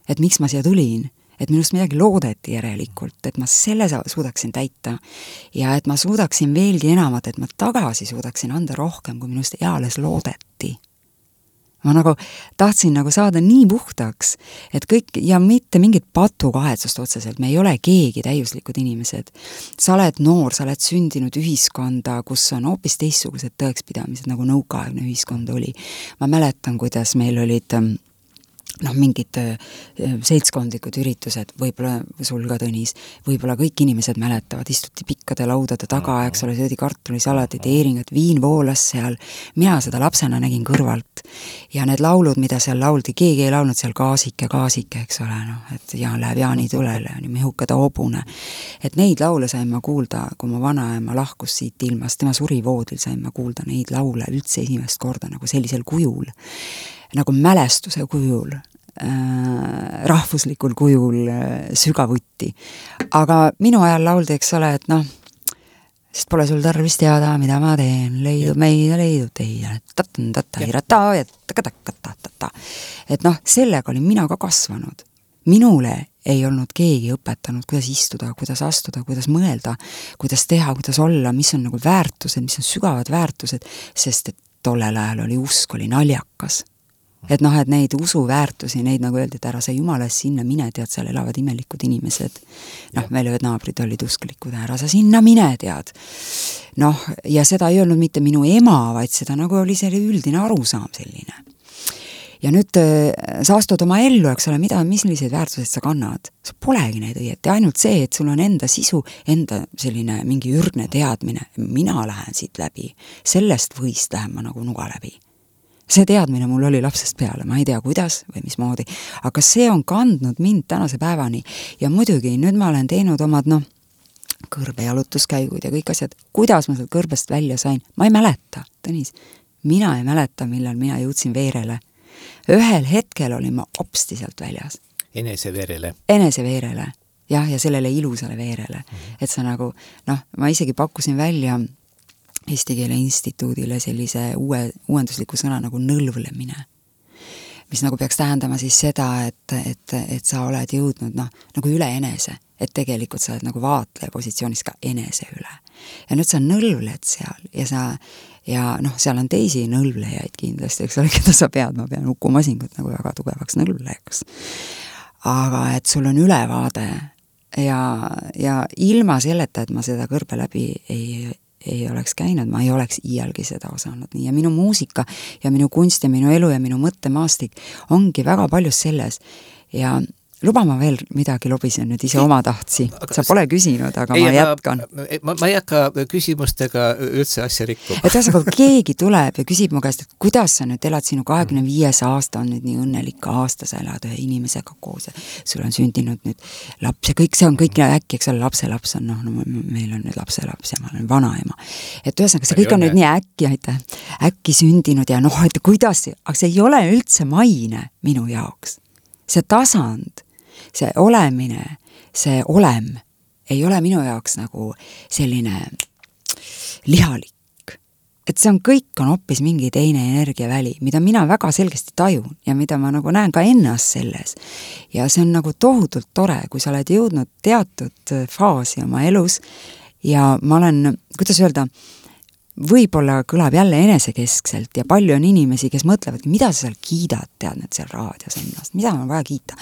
et miks ma siia tulin, et minust midagi loodeti järelikult, et ma selle suudaksin täita ja et ma suudaksin veelgi enamat, et ma tagasi suudaksin anda rohkem, kui minust eales loodeti. Ma nagu tahtsin nagu saada nii puhtaks, et kõik, ja mitte mingit patukahetsust otseselt, me ei ole keegi täiuslikud inimesed. Sa oled noor, sa oled sündinud ühiskonda, kus on hoopis teistsugused tõekspidamised, nagu nõukaaegne ühiskond oli. Ma mäletan, kuidas meil olid noh, mingid seltskondlikud üritused, võib-olla sul ka Tõnis, võib-olla kõik inimesed mäletavad, istuti pikkade laudade taga, eks ole, söödi kartulisalatit, eeringat, viin voolas seal, mina seda lapsena nägin kõrvalt ja need laulud, mida seal lauldi, keegi ei laulnud seal gaasike, gaasike, eks ole, noh, et Jaan läheb Jaani tulele, mehuka ta hobune, et neid laule sain ma kuulda, kui ma vanaema lahkus siit ilmast, tema suri voodil, sain ma kuulda neid laule üldse esimest korda nagu sellisel kujul, nagu mälestuse kujul, äh, rahvuslikul kujul äh, sügavuti. Aga minu ajal lauldi, eks ole, et noh, sest pole sul tarvis teada, mida ma teen, leidub meid ja leidub teie, et noh, sellega olin mina ka kasvanud. Minule ei olnud keegi õpetanud, kuidas istuda, kuidas astuda, kuidas mõelda, kuidas teha, kuidas olla, mis on nagu väärtused, mis on sügavad väärtused, sest et tollel ajal oli usk, oli naljakas. Et noh, et neid usuväärtusi, neid nagu öeldi, et ära sa jumalast sinna mine, tead, seal elavad imelikud inimesed. Noh, meil ühed naabrid olid usklikud, ära sa sinna mine, tead. Noh, ja seda ei öelnud mitte minu ema, vaid seda nagu oli selle üldine arusaam selline. Ja nüüd sa astud oma ellu, eks ole, mida, misliseid väärtused sa kannad. Sa polegi neid õieti, ainult see, et sul on enda sisu, enda selline mingi ürgne teadmine. Mina lähen siit läbi, sellest võist lähen ma nagu nuga läbi. See teadmine mul oli lapsest peale, ma ei tea kuidas või mismoodi, aga see on kandnud mind tänase päevani ja muidugi nüüd ma olen teinud omad, noh, kõrbejalutuskäigud ja kõik asjad, kuidas ma sealt kõrbest välja sain, ma ei mäleta, Tõnis, mina ei mäleta, millal mina jõudsin veerele. Ühel hetkel olin ma opsti sealt väljas. Enese veerele. Enese veerele, jah, ja sellele ilusale veerele, mm-hmm. et sa nagu, noh, ma isegi pakkusin välja Eesti Keele Instituudile sellise uue, uuendusliku sõna nagu nõlvlemine, mis nagu peaks tähendama siis seda, et, et, et sa oled jõudnud noh, nagu üle enese, et tegelikult sa oled nagu vaatleja positsioonis ka enese üle. Ja nüüd sa nõlvled seal ja sa, ja noh, seal on teisi nõlvlejaid kindlasti, eks ole, keda sa pead, ma pean Uku Masingut nagu väga tugevaks nõlvlejaks. Aga et sul on ülevaade ja, ja ilma selleta, et ma seda kõrbe läbi ei ei oleks käinud, ma ei oleks iialgi seda osanud. Nii, ja minu muusika ja minu kunst ja minu elu ja minu mõttemaastik ongi väga paljus selles. Ja luba ma veel midagi lobisen nüüd ise oma tahtsi. Sa pole küsinud, aga ei, ma jätkan. Ma, ma ei hakka küsimustega üldse asja rikku. Et ühesõnaga, keegi tuleb ja küsib mu käest, et kuidas sa nüüd elad, sinu kahekümne viies aasta on nüüd nii õnnelik aasta, sa elad ühe inimesega koos ja sul on sündinud nüüd laps ja kõik see on kõik äkki, eks ole, lapse laps on, noh, no, meil on nüüd lapse laps ja ma olen vanaema. Et ühesõnaga, see kõik on nüüd nii äkki, aitäh, äkki sündinud ja noh, et kuidas, aga see ei ole üldse maine minu jaoks. See tasand, see olemine, see olem ei ole minu jaoks nagu selline lihalik. Et see on kõik on hoopis mingi teine energiaväli, mida mina väga selgesti tajun ja mida ma nagu näen ka ennast selles. Ja see on nagu tohutult tore, kui sa oled jõudnud teatud faasi oma elus ja ma olen, kuidas öelda, võib-olla kõlab jälle enesekeskselt ja palju on inimesi, kes mõtlevad, mida sa seal kiidad, tead need seal raadios ennast, mida on vaja kiita.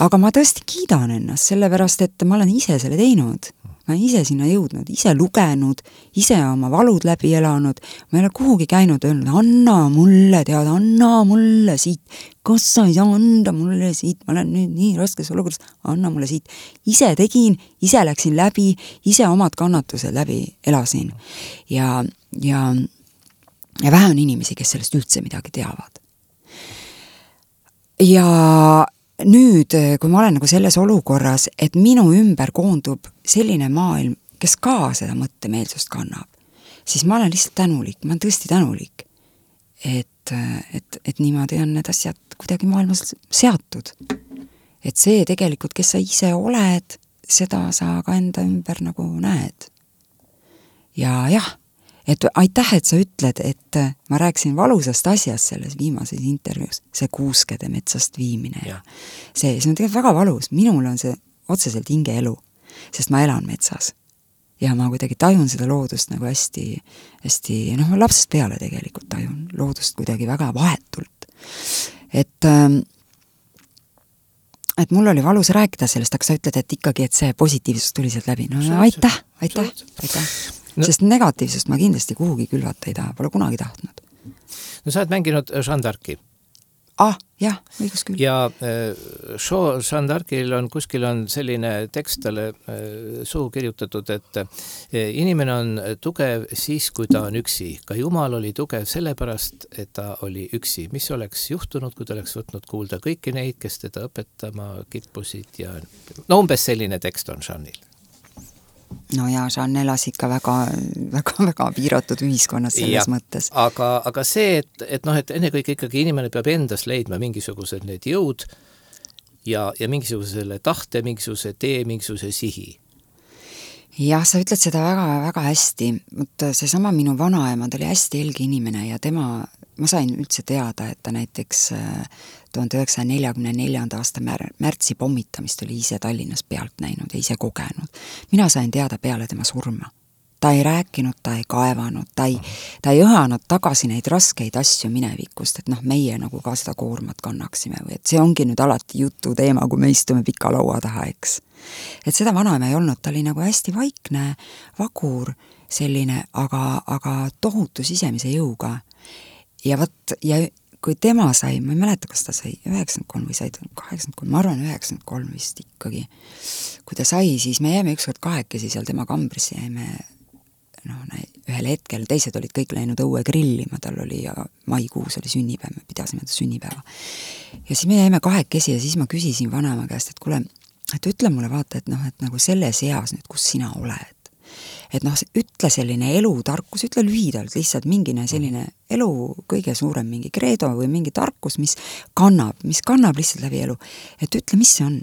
Aga ma tõesti kiidan ennast, sellepärast, et ma olen ise selle teinud. Ma olen ise sinna jõudnud, ise lugenud, ise oma valud läbi elanud. Ma ei ole kuhugi käinud öelnud, anna mulle, tead, anna mulle siit. Kas sa ei saa anda mulle siit? Ma olen nüüd nii raskes olukorras, anna mulle siit. Ise tegin, ise läksin läbi, ise omad kannatused läbi elasin. Ja, ja, ja vähe on inimesi, kes sellest üldse midagi teavad. Ja nüüd, kui ma olen nagu selles olukorras, et minu ümber koondub selline maailm, kes ka seda mõttemeelsust kannab, siis ma olen lihtsalt tänulik, ma olen tõesti tänulik, et, et, et niimoodi on need asjad kuidagi maailmas seatud. Et see tegelikult, kes sa ise oled, seda sa ka enda ümber nagu näed. Ja jah, et aitäh, et sa ütled, et ma rääksin valusast asjast selles viimases intervjuus, see kuuskede metsast viimine ja see, see on tegelikult väga valus, minul on see otseselt hingeelu, sest ma elan metsas ja ma kuidagi tajun seda loodust nagu hästi, hästi, noh, lapsest peale tegelikult tajun loodust kuidagi väga vahetult, et et mul oli valus rääkida sellest, aga sa ütled, et ikkagi, et see positiivsus tuli sealt läbi, no aitäh, aitäh, aitäh. No. Sest negatiivsust ma kindlasti kuhugi külvata ei taha, pole kunagi tahtnud. No sa oled mänginud Jeanne d'Arci. Ah, jah, õigus küll. Ja äh, show Jeanne d'Arcil on, kuskil on selline tekst talle äh, suhu kirjutatud, et äh, inimene on tugev siis, kui ta on üksi. Ka Jumal oli tugev sellepärast, et ta oli üksi. Mis oleks juhtunud, kui ta oleks võtnud kuulda kõiki neid, kes teda õpetama kippusid ja no umbes selline tekst on Jeanne'il. No ja Jeanne elas ikka väga, väga, väga piiratud ühiskonnas selles ja, mõttes. Aga, aga see, et, et noh, et enne kõik ikkagi inimene peab endas leidma mingisugused need jõud ja, ja mingisugusele tahte, mingisuguse tee, mingisuguse sihi. jah, sa ütled seda väga-väga hästi, et seesama minu vanaema, ta oli hästi helge inimene ja tema, ma sain üldse teada, et ta näiteks tuhande üheksasaja neljakümne neljanda aasta mär, märtsi pommitamist oli ise Tallinnas pealt näinud ja ise kogenud. Mina sain teada peale tema surma. Ta ei rääkinud, ta ei kaevanud, ta ei, ta ei õhanud tagasi neid raskeid asju minevikust, et noh, meie nagu ka seda koormat kannaksime või et see ongi nüüd alati jutu teema, kui me istume pika laua taha, eks. Et seda vanaema ei olnud, ta oli nagu hästi vaikne, vagur, selline, aga, aga tohutu sisemise jõuga. Ja võt, ja kui tema sai, ma ei mäleta, kas ta sai üheksakümmend kolm või sai kaheksakümmend kolm, ma arvan üheksakümmend kolm vist ikkagi. Kui ta sai, siis me jäime ükskord kahekesi seal tema kambrisse, jäime noh, ühel hetkel, teised olid kõik läinud õue grillima, tal oli ja maikuus oli sünnipäev, me pidasime ta sünnipäeva. Ja siis me jäime kahekesi ja siis ma küsisin vanaema käest, et kuule, et ütle mulle vaata, et noh, et nagu selles eas nüüd, kus sina oled. Et noh, ütle selline elutarkus, ütle lühidalt lihtsalt mingine selline elu kõige suurem mingi kreedo või mingi tarkus, mis kannab, mis kannab lihtsalt läbi elu. Et ütle, mis see on.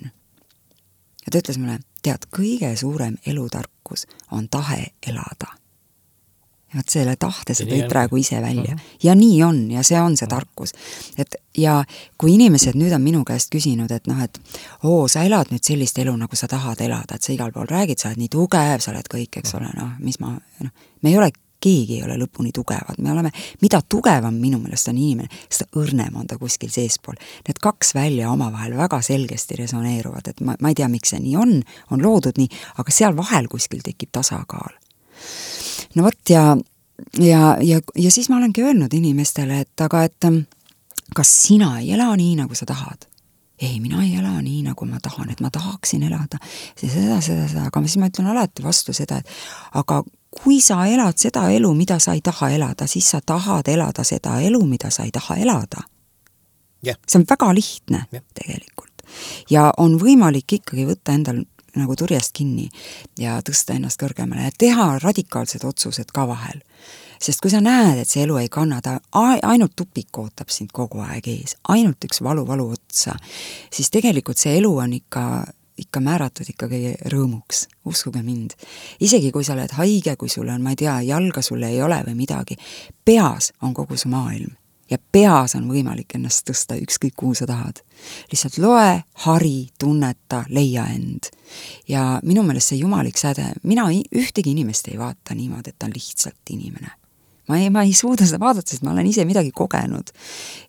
Ja ta ütles mulle, tead, kõige suurem elutarkus on tahe elada. Ja võt selle tahte sa tõid praegu ise välja. Ja nii on, ja see on see tarkus. Et, ja kui inimesed nüüd on minu käest küsinud, et noh, et oo, sa elad nüüd sellist elu, nagu sa tahad elada, et sa igal pool räägid, sa oled nii tugev, sa oled kõik, eks ole, noh, mis ma, noh, me ei ole, keegi ei ole lõpuni tugevad, me oleme, mida tugevam minu meelest on inimene, seda õrnem on ta kuskil seespool. Need kaks välja omavahel väga selgesti resoneeruvad, et ma, ma ei tea, miks see nii on, on loodud nii, aga seal vahel kuskil tekib tasakaal. No võt, ja, ja, ja, ja siis ma olengi öelnud inimestele, et aga, et kas sina ei ela nii, nagu sa tahad? Ei, mina ei ela nii, nagu ma tahan, et ma tahaksin elada seda, seda, seda, aga siis ma ütlen alati vastu seda, et aga kui sa elad seda elu, mida sa ei taha elada, siis sa tahad elada seda elu, mida sa ei taha elada. Yeah. See on väga lihtne yeah. tegelikult. Ja on võimalik ikkagi võtta endal nagu turjast kinni ja tõsta ennast kõrgemale ja teha radikaalsed otsused ka vahel. Sest kui sa näed, et see elu ei kannada, ainult tupik ootab sind kogu aeg ees, ainult üks valu-valu otsa, siis tegelikult see elu on ikka, ikka määratud ikkagi rõõmuks, uskuge mind. Isegi kui sa oled haige, kui sul on, ma ei tea, jalga sulle ei ole või midagi, peas on kogu su maailm. Ja peas on võimalik ennast tõsta ükskõik kuhu sa tahad. Lihtsalt loe, hari, tunneta, leia end. Ja minu meelest see jumalik säde, mina ühtegi inimest ei vaata niimoodi, et ta on lihtsalt inimene. Ma ei, ma ei suuda seda vaadata, sest ma olen ise midagi kogenud.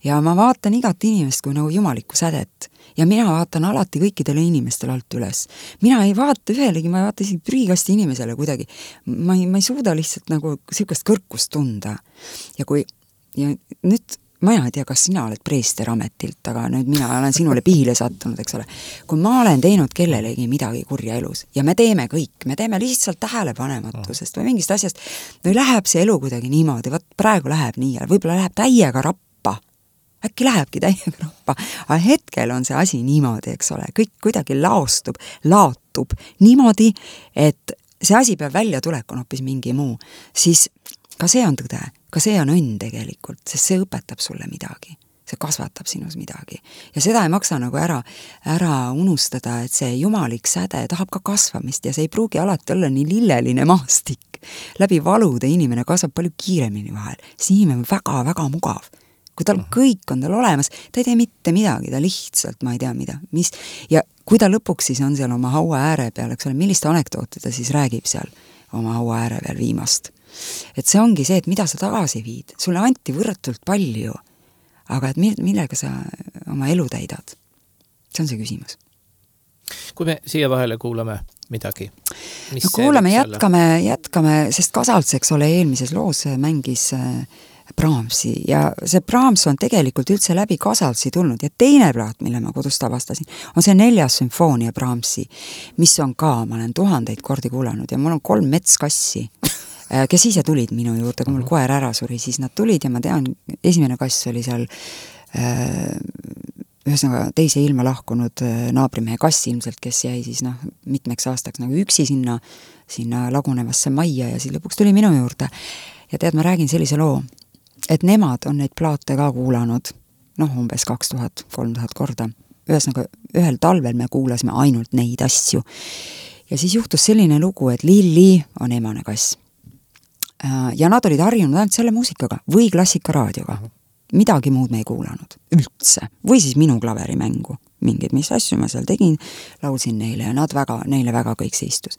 Ja ma vaatan igat inimest kui nagu jumalikku sädet. Ja mina vaatan alati kõikidele inimestele alt üles. Mina ei vaata ühelegi, ma ei vaata isegi prügikasti inimesele kuidagi. Ma ei, ma ei suuda lihtsalt nagu sihukest kõrkust tunda. Ja kui Ja nüüd, ma ei tea, kas sina oled preester ametilt, aga nüüd mina olen sinule pihile sattunud, eks ole. Kui ma olen teinud kellelegi midagi kurja elus ja me teeme kõik, me teeme lihtsalt tähelepanematusest või mingist asjast, või läheb see elu kuidagi niimoodi, võt praegu läheb nii ja võib-olla läheb täiega rappa. Äkki lähebki täiega rappa, aga hetkel on see asi niimoodi, eks ole, kõik kuidagi laostub, laatub niimoodi, et see asi peab välja tulek on hoopis mingi muu, siis ka see on tõde, ka see on õnn tegelikult, sest see õpetab sulle midagi, see kasvatab sinus midagi. Ja seda ei maksa nagu ära, ära unustada, et see jumalik säde tahab ka kasvamist ja see ei pruugi alati olla nii lilleline maastik. Läbi valude inimene kasvab palju kiiremini vahel. See inimene on väga-väga mugav. Kui tal kõik on tal olemas, ta ei tee mitte midagi, ta lihtsalt, ma ei tea mida, mis, ja kui ta lõpuks siis on seal oma haua ääre peal, eks ole, millist anekdooti ta siis räägib seal oma haua ääre peal viimast. Et see ongi see, et mida sa tagasi viid. Sulle anti võrratult palju, aga et millega sa oma elu täidad? See on see küsimus. Kui me siia vahele kuulame midagi? Mis no kuulame, jätkame, jätkame, sest Kasalts, eks ole, eelmises loos mängis Brahmsi ja see Brahms on tegelikult üldse läbi Kasaltsi tulnud ja teine plaat, mille ma kodust avastasin, on see neljas sümfoonia Brahmsi, mis on ka, ma olen tuhandeid kordi kuulanud ja mul on kolm metskassi, kes ise tulid minu juurde, kui mul koer ära suri, siis nad tulid ja ma tean, esimene kass oli seal äh, ühesõnaga teise ilma lahkunud naabrimehe kass ilmselt, kes jäi siis noh, mitmeks aastaks nagu üksi sinna, sinna lagunevasse majja ja siis lõpuks tuli minu juurde. Ja tead, ma räägin sellise loo, et nemad on neid plaate ka kuulanud, noh, umbes kaks tuhat, kolm tuhat korda. Ühesõnaga, ühel talvel me kuulasime ainult neid asju. ja siis juhtus selline lugu, et Lilli on emane kass. Ja nad olid harjunud ainult selle muusikaga või klassikaraadioga. Midagi muud me ei kuulanud, üldse. Või siis minu klaverimängu. Mingid, mis asju ma seal tegin, laulsin neile ja nad väga, neile väga kõik see istus.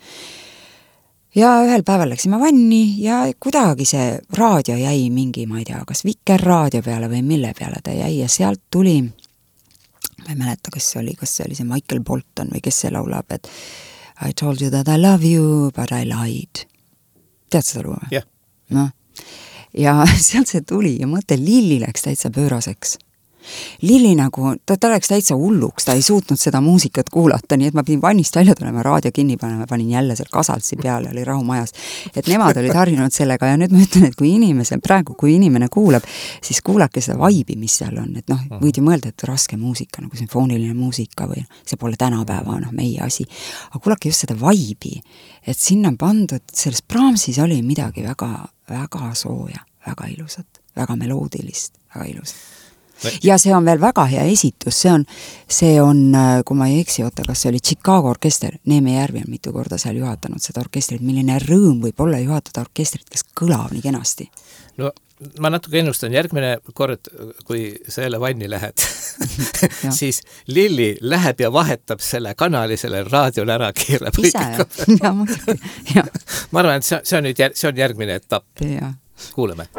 Ja ühel päeval läksime vanni ja kuidagi see raadio jäi mingi, ma ei tea, kas Vikerraadio peale või mille peale ta jäi ja sealt tuli, ma ei mäleta, kas see oli, kas see oli see Michael Bolton või kes see laulab, et I told you that I love you, but I lied. Tead seda lugu? jah. No. Ja sealt see tuli ja mõte Lilli läks täitsa pööraseks. Lilli nagu, ta, ta läks täitsa hulluks, ta ei suutnud seda muusikat kuulata, nii et ma pidin vannist välja tulema, raadio kinni panema, panin jälle seal kasaltsi peale, oli rahumajas. Et nemad olid harjunud sellega ja nüüd ma ütlen, et kui inimese, praegu kui inimene kuulab, siis kuulake seda vaibi, mis seal on, et noh, võid ju mõelda, et raske muusika, nagu sümfooniline muusika või see pole tänapäeva, noh, meie asi. Aga kuulake just seda vaibi, et sinna on pandud, selles Brahmsis oli midagi väga, väga sooja, väga ilusat, väga meloodilist, väga ilusat. Ja see on veel väga hea esitus, see on, see on, kui ma ei eksi, oota, kas see oli Chicago orkester, Neeme Järvi on mitu korda seal juhatanud seda orkestrit, milline rõõm võib olla juhatada orkestrit, kes kõlab nii kenasti. No ma natuke ennustan, järgmine kord, kui sa jälle vanni lähed, siis Lilli läheb ja vahetab selle kanali, selle raadiole ära keerab. Ise, ja muidugi, jah. Ma arvan, et see, see on nüüd jär, see on järgmine etapp. Ja. Kuuleme.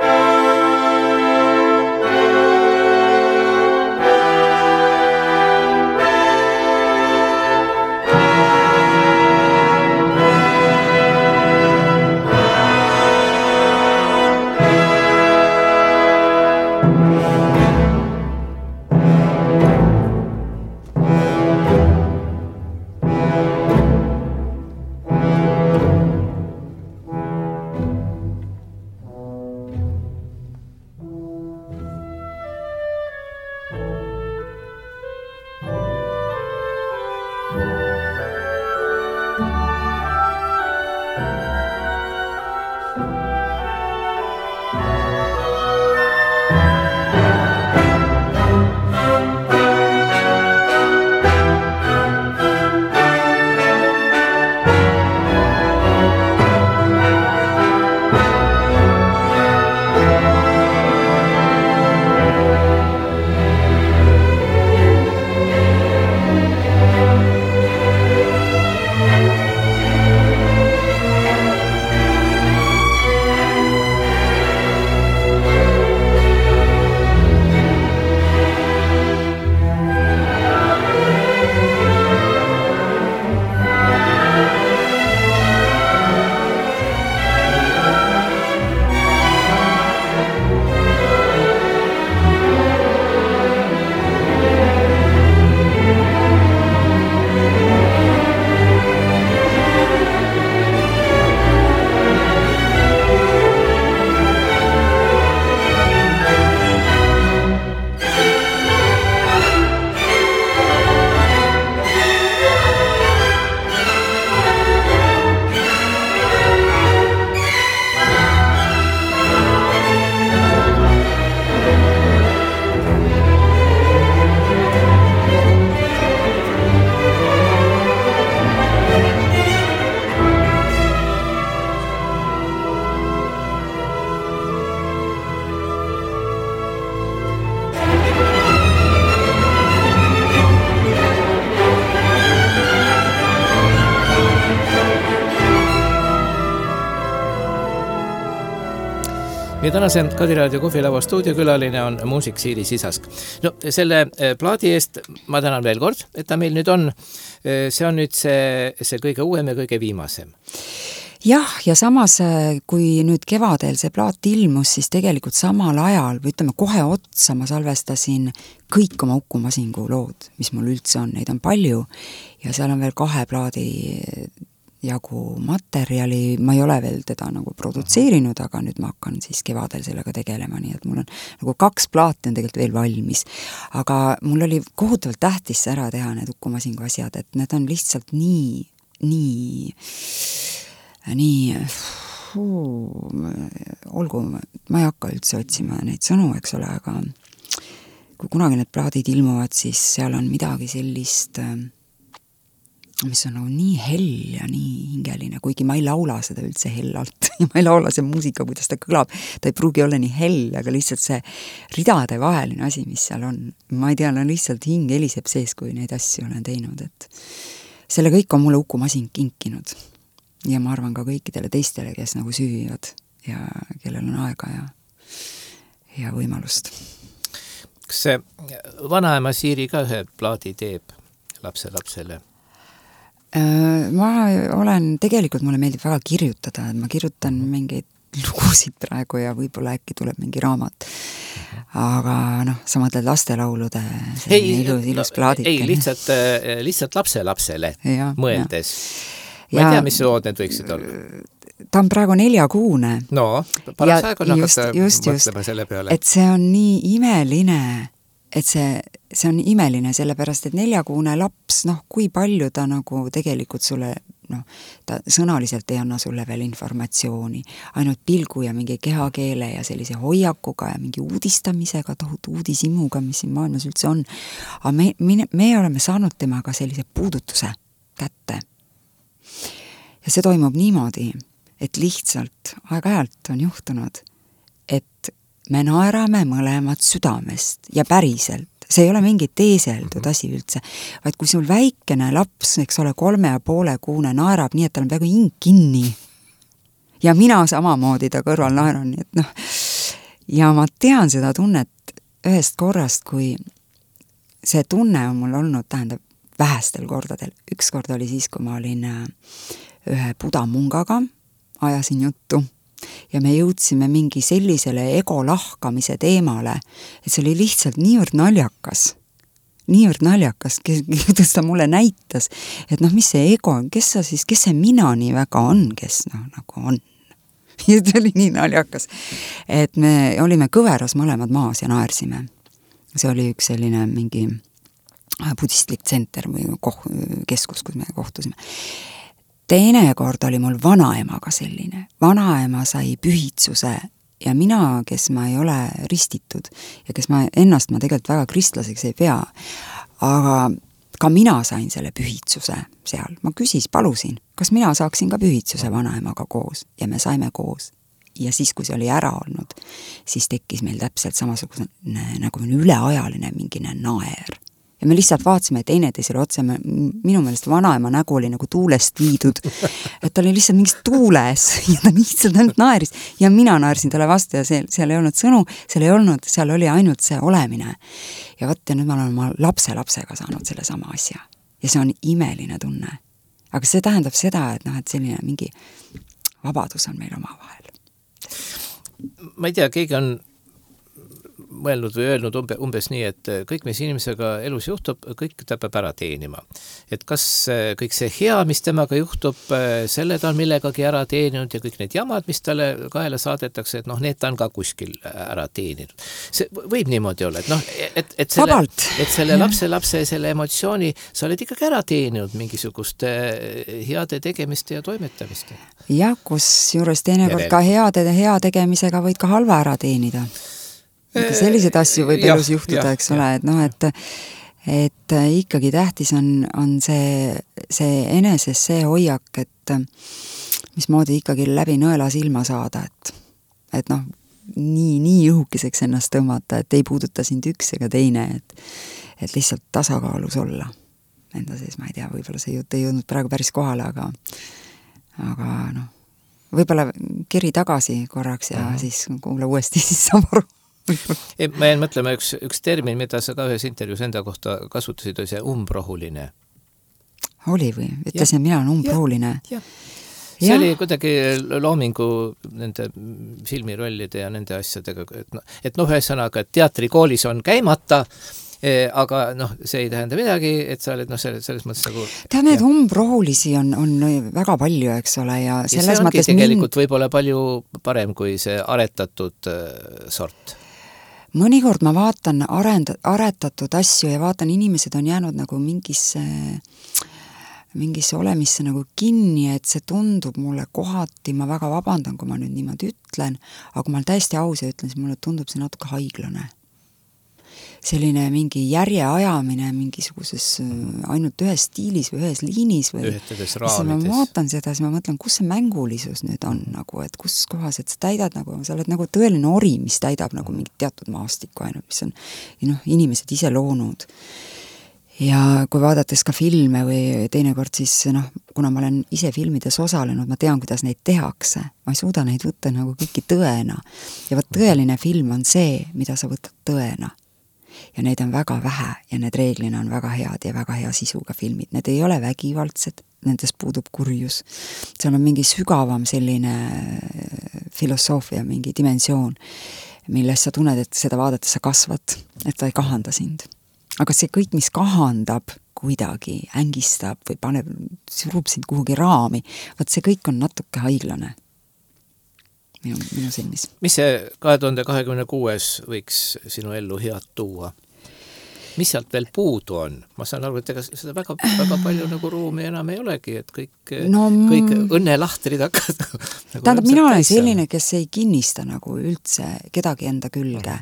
Meie tänase Kadiraadio kohvilava stuudiokülaline on muusik Siiri Sisask. No, selle plaadi eest ma tänan veel kord, et ta meil nüüd on. See on nüüd see, see kõige uuem ja kõige viimasem. Jah, ja samas, kui nüüd kevadel see plaat ilmus, siis tegelikult samal ajal, või ütleme kohe otsa, ma salvestasin kõik oma Uku Masingu lood, mis mul üldse on, neid on palju, ja seal on veel kahe plaadi jagu materjali, ma ei ole veel teda nagu produtseerinud, aga nüüd ma hakkan siis kevadel sellega tegelema, nii et mul on nagu kaks plaati on tegelikult veel valmis. Aga mul oli kohutavalt tähtis ära teha need Uku Masingu asjad, et need on lihtsalt nii, nii, nii, fuu, olgu, ma ei hakka üldse otsima neid sõnu, eks ole, aga kui kunagi need plaadid ilmuvad, siis seal on midagi sellist mis on nagu nii hell ja nii hingeline, kuigi ma ei laula seda üldse hellalt ja ma ei laula see muusika, kuidas ta kõlab, ta ei pruugi olla nii hell, aga lihtsalt see ridade vaheline asi, mis seal on, ma ei tea, no lihtsalt hing heliseb sees, kui neid asju olen teinud, et selle kõik on mulle Uku Masin kinkinud ja ma arvan ka kõikidele teistele, kes nagu süüvivad ja kellel on aega ja, ja võimalust. Kas see vanaema Siiri ka ühe plaadi teeb lapse lapsele? Ma olen, tegelikult mulle meeldib väga kirjutada, et ma kirjutan mingeid lugusid praegu ja võib-olla äkki tuleb mingi raamat. Aga noh, sa mõtled lastelaulude ei, ilus, ilus no, plaadike. Ei, lihtsalt, lihtsalt lapse lapsele ja, mõeldes. Ja. Ma ei tea, mis lood need võiksid olla. Ta on praegu neljakuune. No, paras aeg on hakata mõtlema selle peale. Et see on nii imeline, et see, see on imeline, sellepärast, et neljakuune laps, noh, kui palju ta nagu tegelikult sulle, noh, ta sõnaliselt ei anna sulle veel informatsiooni, ainult pilgu ja mingi kehakeele ja sellise hoiakuga ja mingi uudistamisega, tohutu uudisimuga, mis siin maailmas üldse on. Aga me, me, me oleme saanud temaga sellise puudutuse kätte. Ja see toimub niimoodi, et lihtsalt aeg-ajalt on juhtunud, et me naerame mõlemad südamest ja päriselt. See ei ole mingi teeseldud asi üldse, vaid kui sul väikene laps, eks ole, kolme ja poole kuune naerab nii, et tal on peaaegu hing kinni. Ja mina samamoodi ta kõrval naeran, nii et noh. Ja ma tean seda tunnet ühest korrast, kui see tunne on mul olnud, tähendab, vähestel kordadel. Üks kord oli siis, kui ma olin ühe budamungaga, ajasin juttu ja me jõudsime mingi sellisele ego lahkamise teemale, et see oli lihtsalt niivõrd naljakas, niivõrd naljakas, kuidas ta mulle näitas, et noh, mis see ego on, kes sa siis, kes see mina nii väga on, kes noh, nagu on. Ja see oli nii naljakas, et me olime kõveras mõlemad maas ja naersime. See oli üks selline mingi budistlik tsenter või koh- keskus, kus me kohtusime. Teine kord oli mul vanaemaga selline. Vanaema sai pühitsuse ja mina, kes ma ei ole ristitud ja kes ma ennast ma tegelikult väga kristlaseks ei pea, aga ka mina sain selle pühitsuse seal. Ma küsis, palusin, kas mina saaksin ka pühitsuse vanaemaga koos ja me saime koos. Ja siis, kui see oli ära olnud, siis tekkis meil täpselt samasugune nagu üleajaline mingine naer. Ja me lihtsalt vaatasime teineteisele otse, minu meelest vanaema nägu oli nagu tuulest viidud, et ta oli lihtsalt mingis tuules ja ta lihtsalt ainult naeris ja mina naersin talle vastu ja see, seal ei olnud sõnu, seal ei olnud, seal oli ainult see olemine. Ja võt, ja nüüd ma olen oma lapse lapsega saanud selle sama asja ja see on imeline tunne. Aga see tähendab seda, et noh, et selline mingi vabadus on meil oma vahel. Ma ei tea, keegi on mõelnud või öelnud umbe, umbes nii, et kõik, mis inimesega elus juhtub, kõik ta peab ära teenima. Et kas kõik see hea, mis temaga juhtub, selle ta on millegagi ära teeninud ja kõik need jamad, mis talle kaela saadetakse, et noh, need ta on ka kuskil ära teeninud. See võib niimoodi olla, et noh, et, et selle, et selle lapse, lapse selle emotsiooni sa oled ikkagi ära teeninud mingisuguste heade tegemiste ja toimetamiste. Ja, kus juures teinekord ka heade hea tegemisega võid ka halva ära teenida. Ikka sellised asju võib elus juhtuda, eks ole, et noh, et, et ikkagi tähtis on, on see, see eneses see hoiak, et mismoodi ikkagi läbi nõela silma saada, et, et noh, nii, nii õhukeseks ennast tõmmata, et ei puuduta sind üks ega teine, et, et lihtsalt tasakaalus olla. Enda sees, ma ei tea, võib-olla see jutt ei jõudnud praegu päris kohale, aga, aga noh, võib-olla kiri tagasi korraks ja uh-huh. siis kuule uuesti, siis saab aru. Ma jäin mõtlema üks, üks termin, mida sa ka ühes intervjuus enda kohta kasutasid, oli see umbrohuline. Oli või? Ütlesin, et mina olen umbrohuline. Ja, ja. See ja. Oli kuidagi loomingu nende filmirollide ja nende asjadega, et noh, et noh, ühesõnaga, et teatrikoolis on käimata, aga noh, see ei tähenda midagi, et sa oled noh, selles, selles mõttes nagu... Tead, need umbrohulisi on, on väga palju, eks ole, ja selles ja mõttes... See ongi tegelikult mind... võib-olla palju parem kui see aretatud sort. Mõnikord ma vaatan arend, aretatud asju ja vaatan, inimesed on jäänud nagu mingisse, mingisse olemisse nagu kinni, et see tundub mulle kohati, ma väga vabandan, kui ma nüüd niimoodi ütlen, aga kui ma olen täiesti aus ja ütlen, siis mulle tundub see natuke haiglane. selline mingi järjeajamine mingisuguses ainult ühes stiilis või ühes liinis või ühtedes raamides. Ma vaatan seda, siis ma mõtlen, kus see mängulisus nüüd on nagu, et kus kohas, et sa täidad nagu, sa oled nagu tõeline ori, mis täidab nagu mingit teatud maastikku ainult, mis on noh, inimesed ise loonud. Ja kui vaadates ka filme või teinekord siis, noh, kuna ma olen ise filmides osalenud, ma tean, kuidas neid tehakse. Ma ei suuda neid võtta nagu kõiki tõena. Ja võt tõeline film on see, mida sa võtad tõena. Ja neid on väga vähe ja need reeglina on väga head ja väga hea sisuga filmid. Need ei ole vägivaldsed, nendes puudub kurjus. Seal on mingi sügavam selline filosoofia, mingi dimensioon, milles sa tunned, et seda vaadates sa kasvad, et ta ei kahanda sind. Aga see kõik, mis kahandab kuidagi, ängistab või paneb, surub sind kuhugi raami, vaat see kõik on natuke haiglane minu, minu silmis. Mis see kahe tuhande kahekümne kuues võiks sinu ellu head tuua? Mis sealt veel puudu on? Ma saan aru, et ega seda väga, väga palju nagu ruumi enam ei olegi, et kõik, no, kõik õnnelahtrid hakkad nagu tähendab, mina olen selline, kes ei kinnista nagu üldse kedagi enda külge.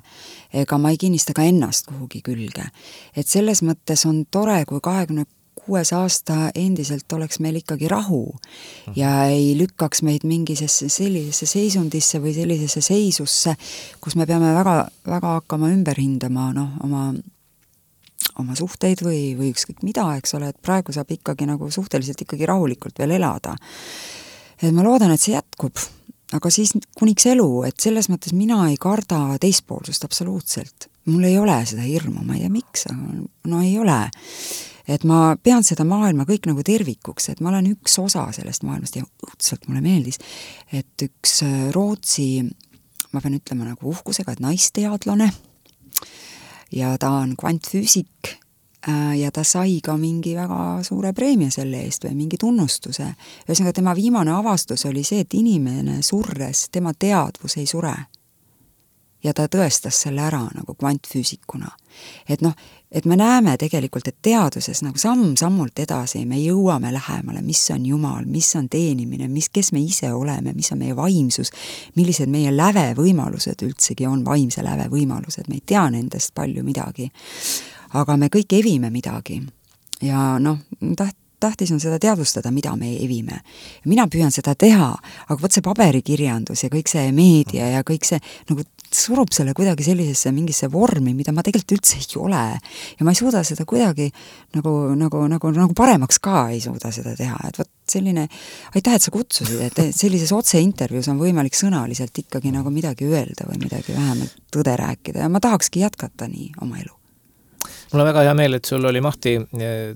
Ega ma ei kinnista ka ennast kuhugi külge. Et selles mõttes on tore, kui kahekümne kuues aasta endiselt oleks meil ikkagi rahu ja ei lükkaks meid mingisesse sellisesse seisundisse või sellisesse seisusse, kus me peame väga, väga hakkama ümber hindama no, oma oma suhteid või, või ükskõik mida, eks ole, et praegu saab ikkagi nagu suhteliselt ikkagi rahulikult veel elada. Et ma loodan, et see jätkub, aga siis kuniks elu, et selles mõttes mina ei karda teispoolsust absoluutselt. Mul ei ole seda hirmu, ma ei tea miks, aga no ei ole. Et ma pean seda maailma kõik nagu tervikuks, et ma olen üks osa sellest maailmast ja õudselt mulle meeldis, et üks Rootsi, ma pean ütlema nagu uhkusega, et naisteadlane, ja ta on kvantfüüsik ja ta sai ka mingi väga suure preemia selle eest või mingi tunnustuse. Ühesõnaga, tema viimane avastus oli see, et inimene surres, tema teadvus ei sure. Ja ta tõestas selle ära nagu kvantfüüsikuna. Et noh, et me näeme tegelikult, et teaduses nagu samm-sammult edasi me jõuame lähemale, mis on Jumal, mis on teenimine, mis, kes me ise oleme, mis on meie vaimsus, millised meie läve võimalused üldsegi on, vaimse läve võimalused, me ei tea nendest palju midagi, aga me kõik evime midagi ja noh, taht, tähtis on seda teadvustada, mida me evime. Mina püüan seda teha, aga võt see paberikirjandus ja kõik see meedia ja kõik see nagu surub selle kuidagi sellisesse mingisse vormi, mida ma tegelikult üldse ei ole. Ja ma ei suuda seda kuidagi nagu, nagu, nagu, nagu paremaks ka ei suuda seda teha. Et võt selline, aitäh, et sa kutsusid, et sellises otse intervjuus on võimalik sõnaliselt ikkagi nagu midagi öelda või midagi vähemalt tõde rääkida ja ma tahakski jätkata nii oma elu. Mul on väga hea meel, et sul oli mahti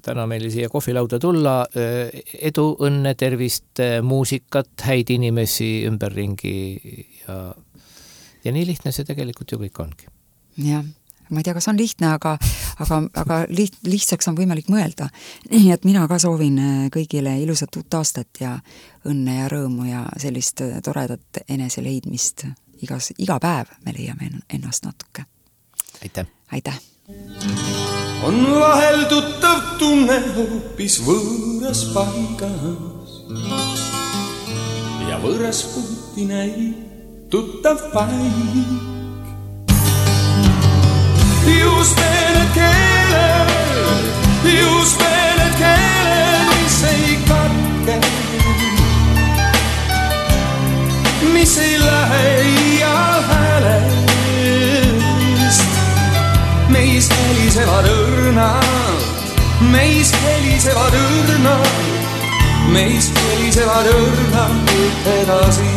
täna meil siia kohvilauda tulla. Edu, õnne, tervist, muusikat, häid inimesi ümberringi ja, ja nii lihtne see tegelikult ju kõik ongi. Jah, ma ei tea, kas on lihtne, aga, aga, aga liht, lihtsaks on võimalik mõelda. Nii et mina ka soovin kõigile ilusat uut aastat ja õnne ja rõõmu ja sellist toredat eneseleidmist. Igas, iga päev me leiame ennast natuke. Aitäh! Aitäh! On vahel tuttav tunne hoopis võõras paigas ja võõras puhti näib tuttav paik. Just need keeled, just need keeled, mis ei katke, mis ei lähe ial häälest. Meis helisevad õrnad, meis helisevad õrnad, meis helisevad õrnad edasi.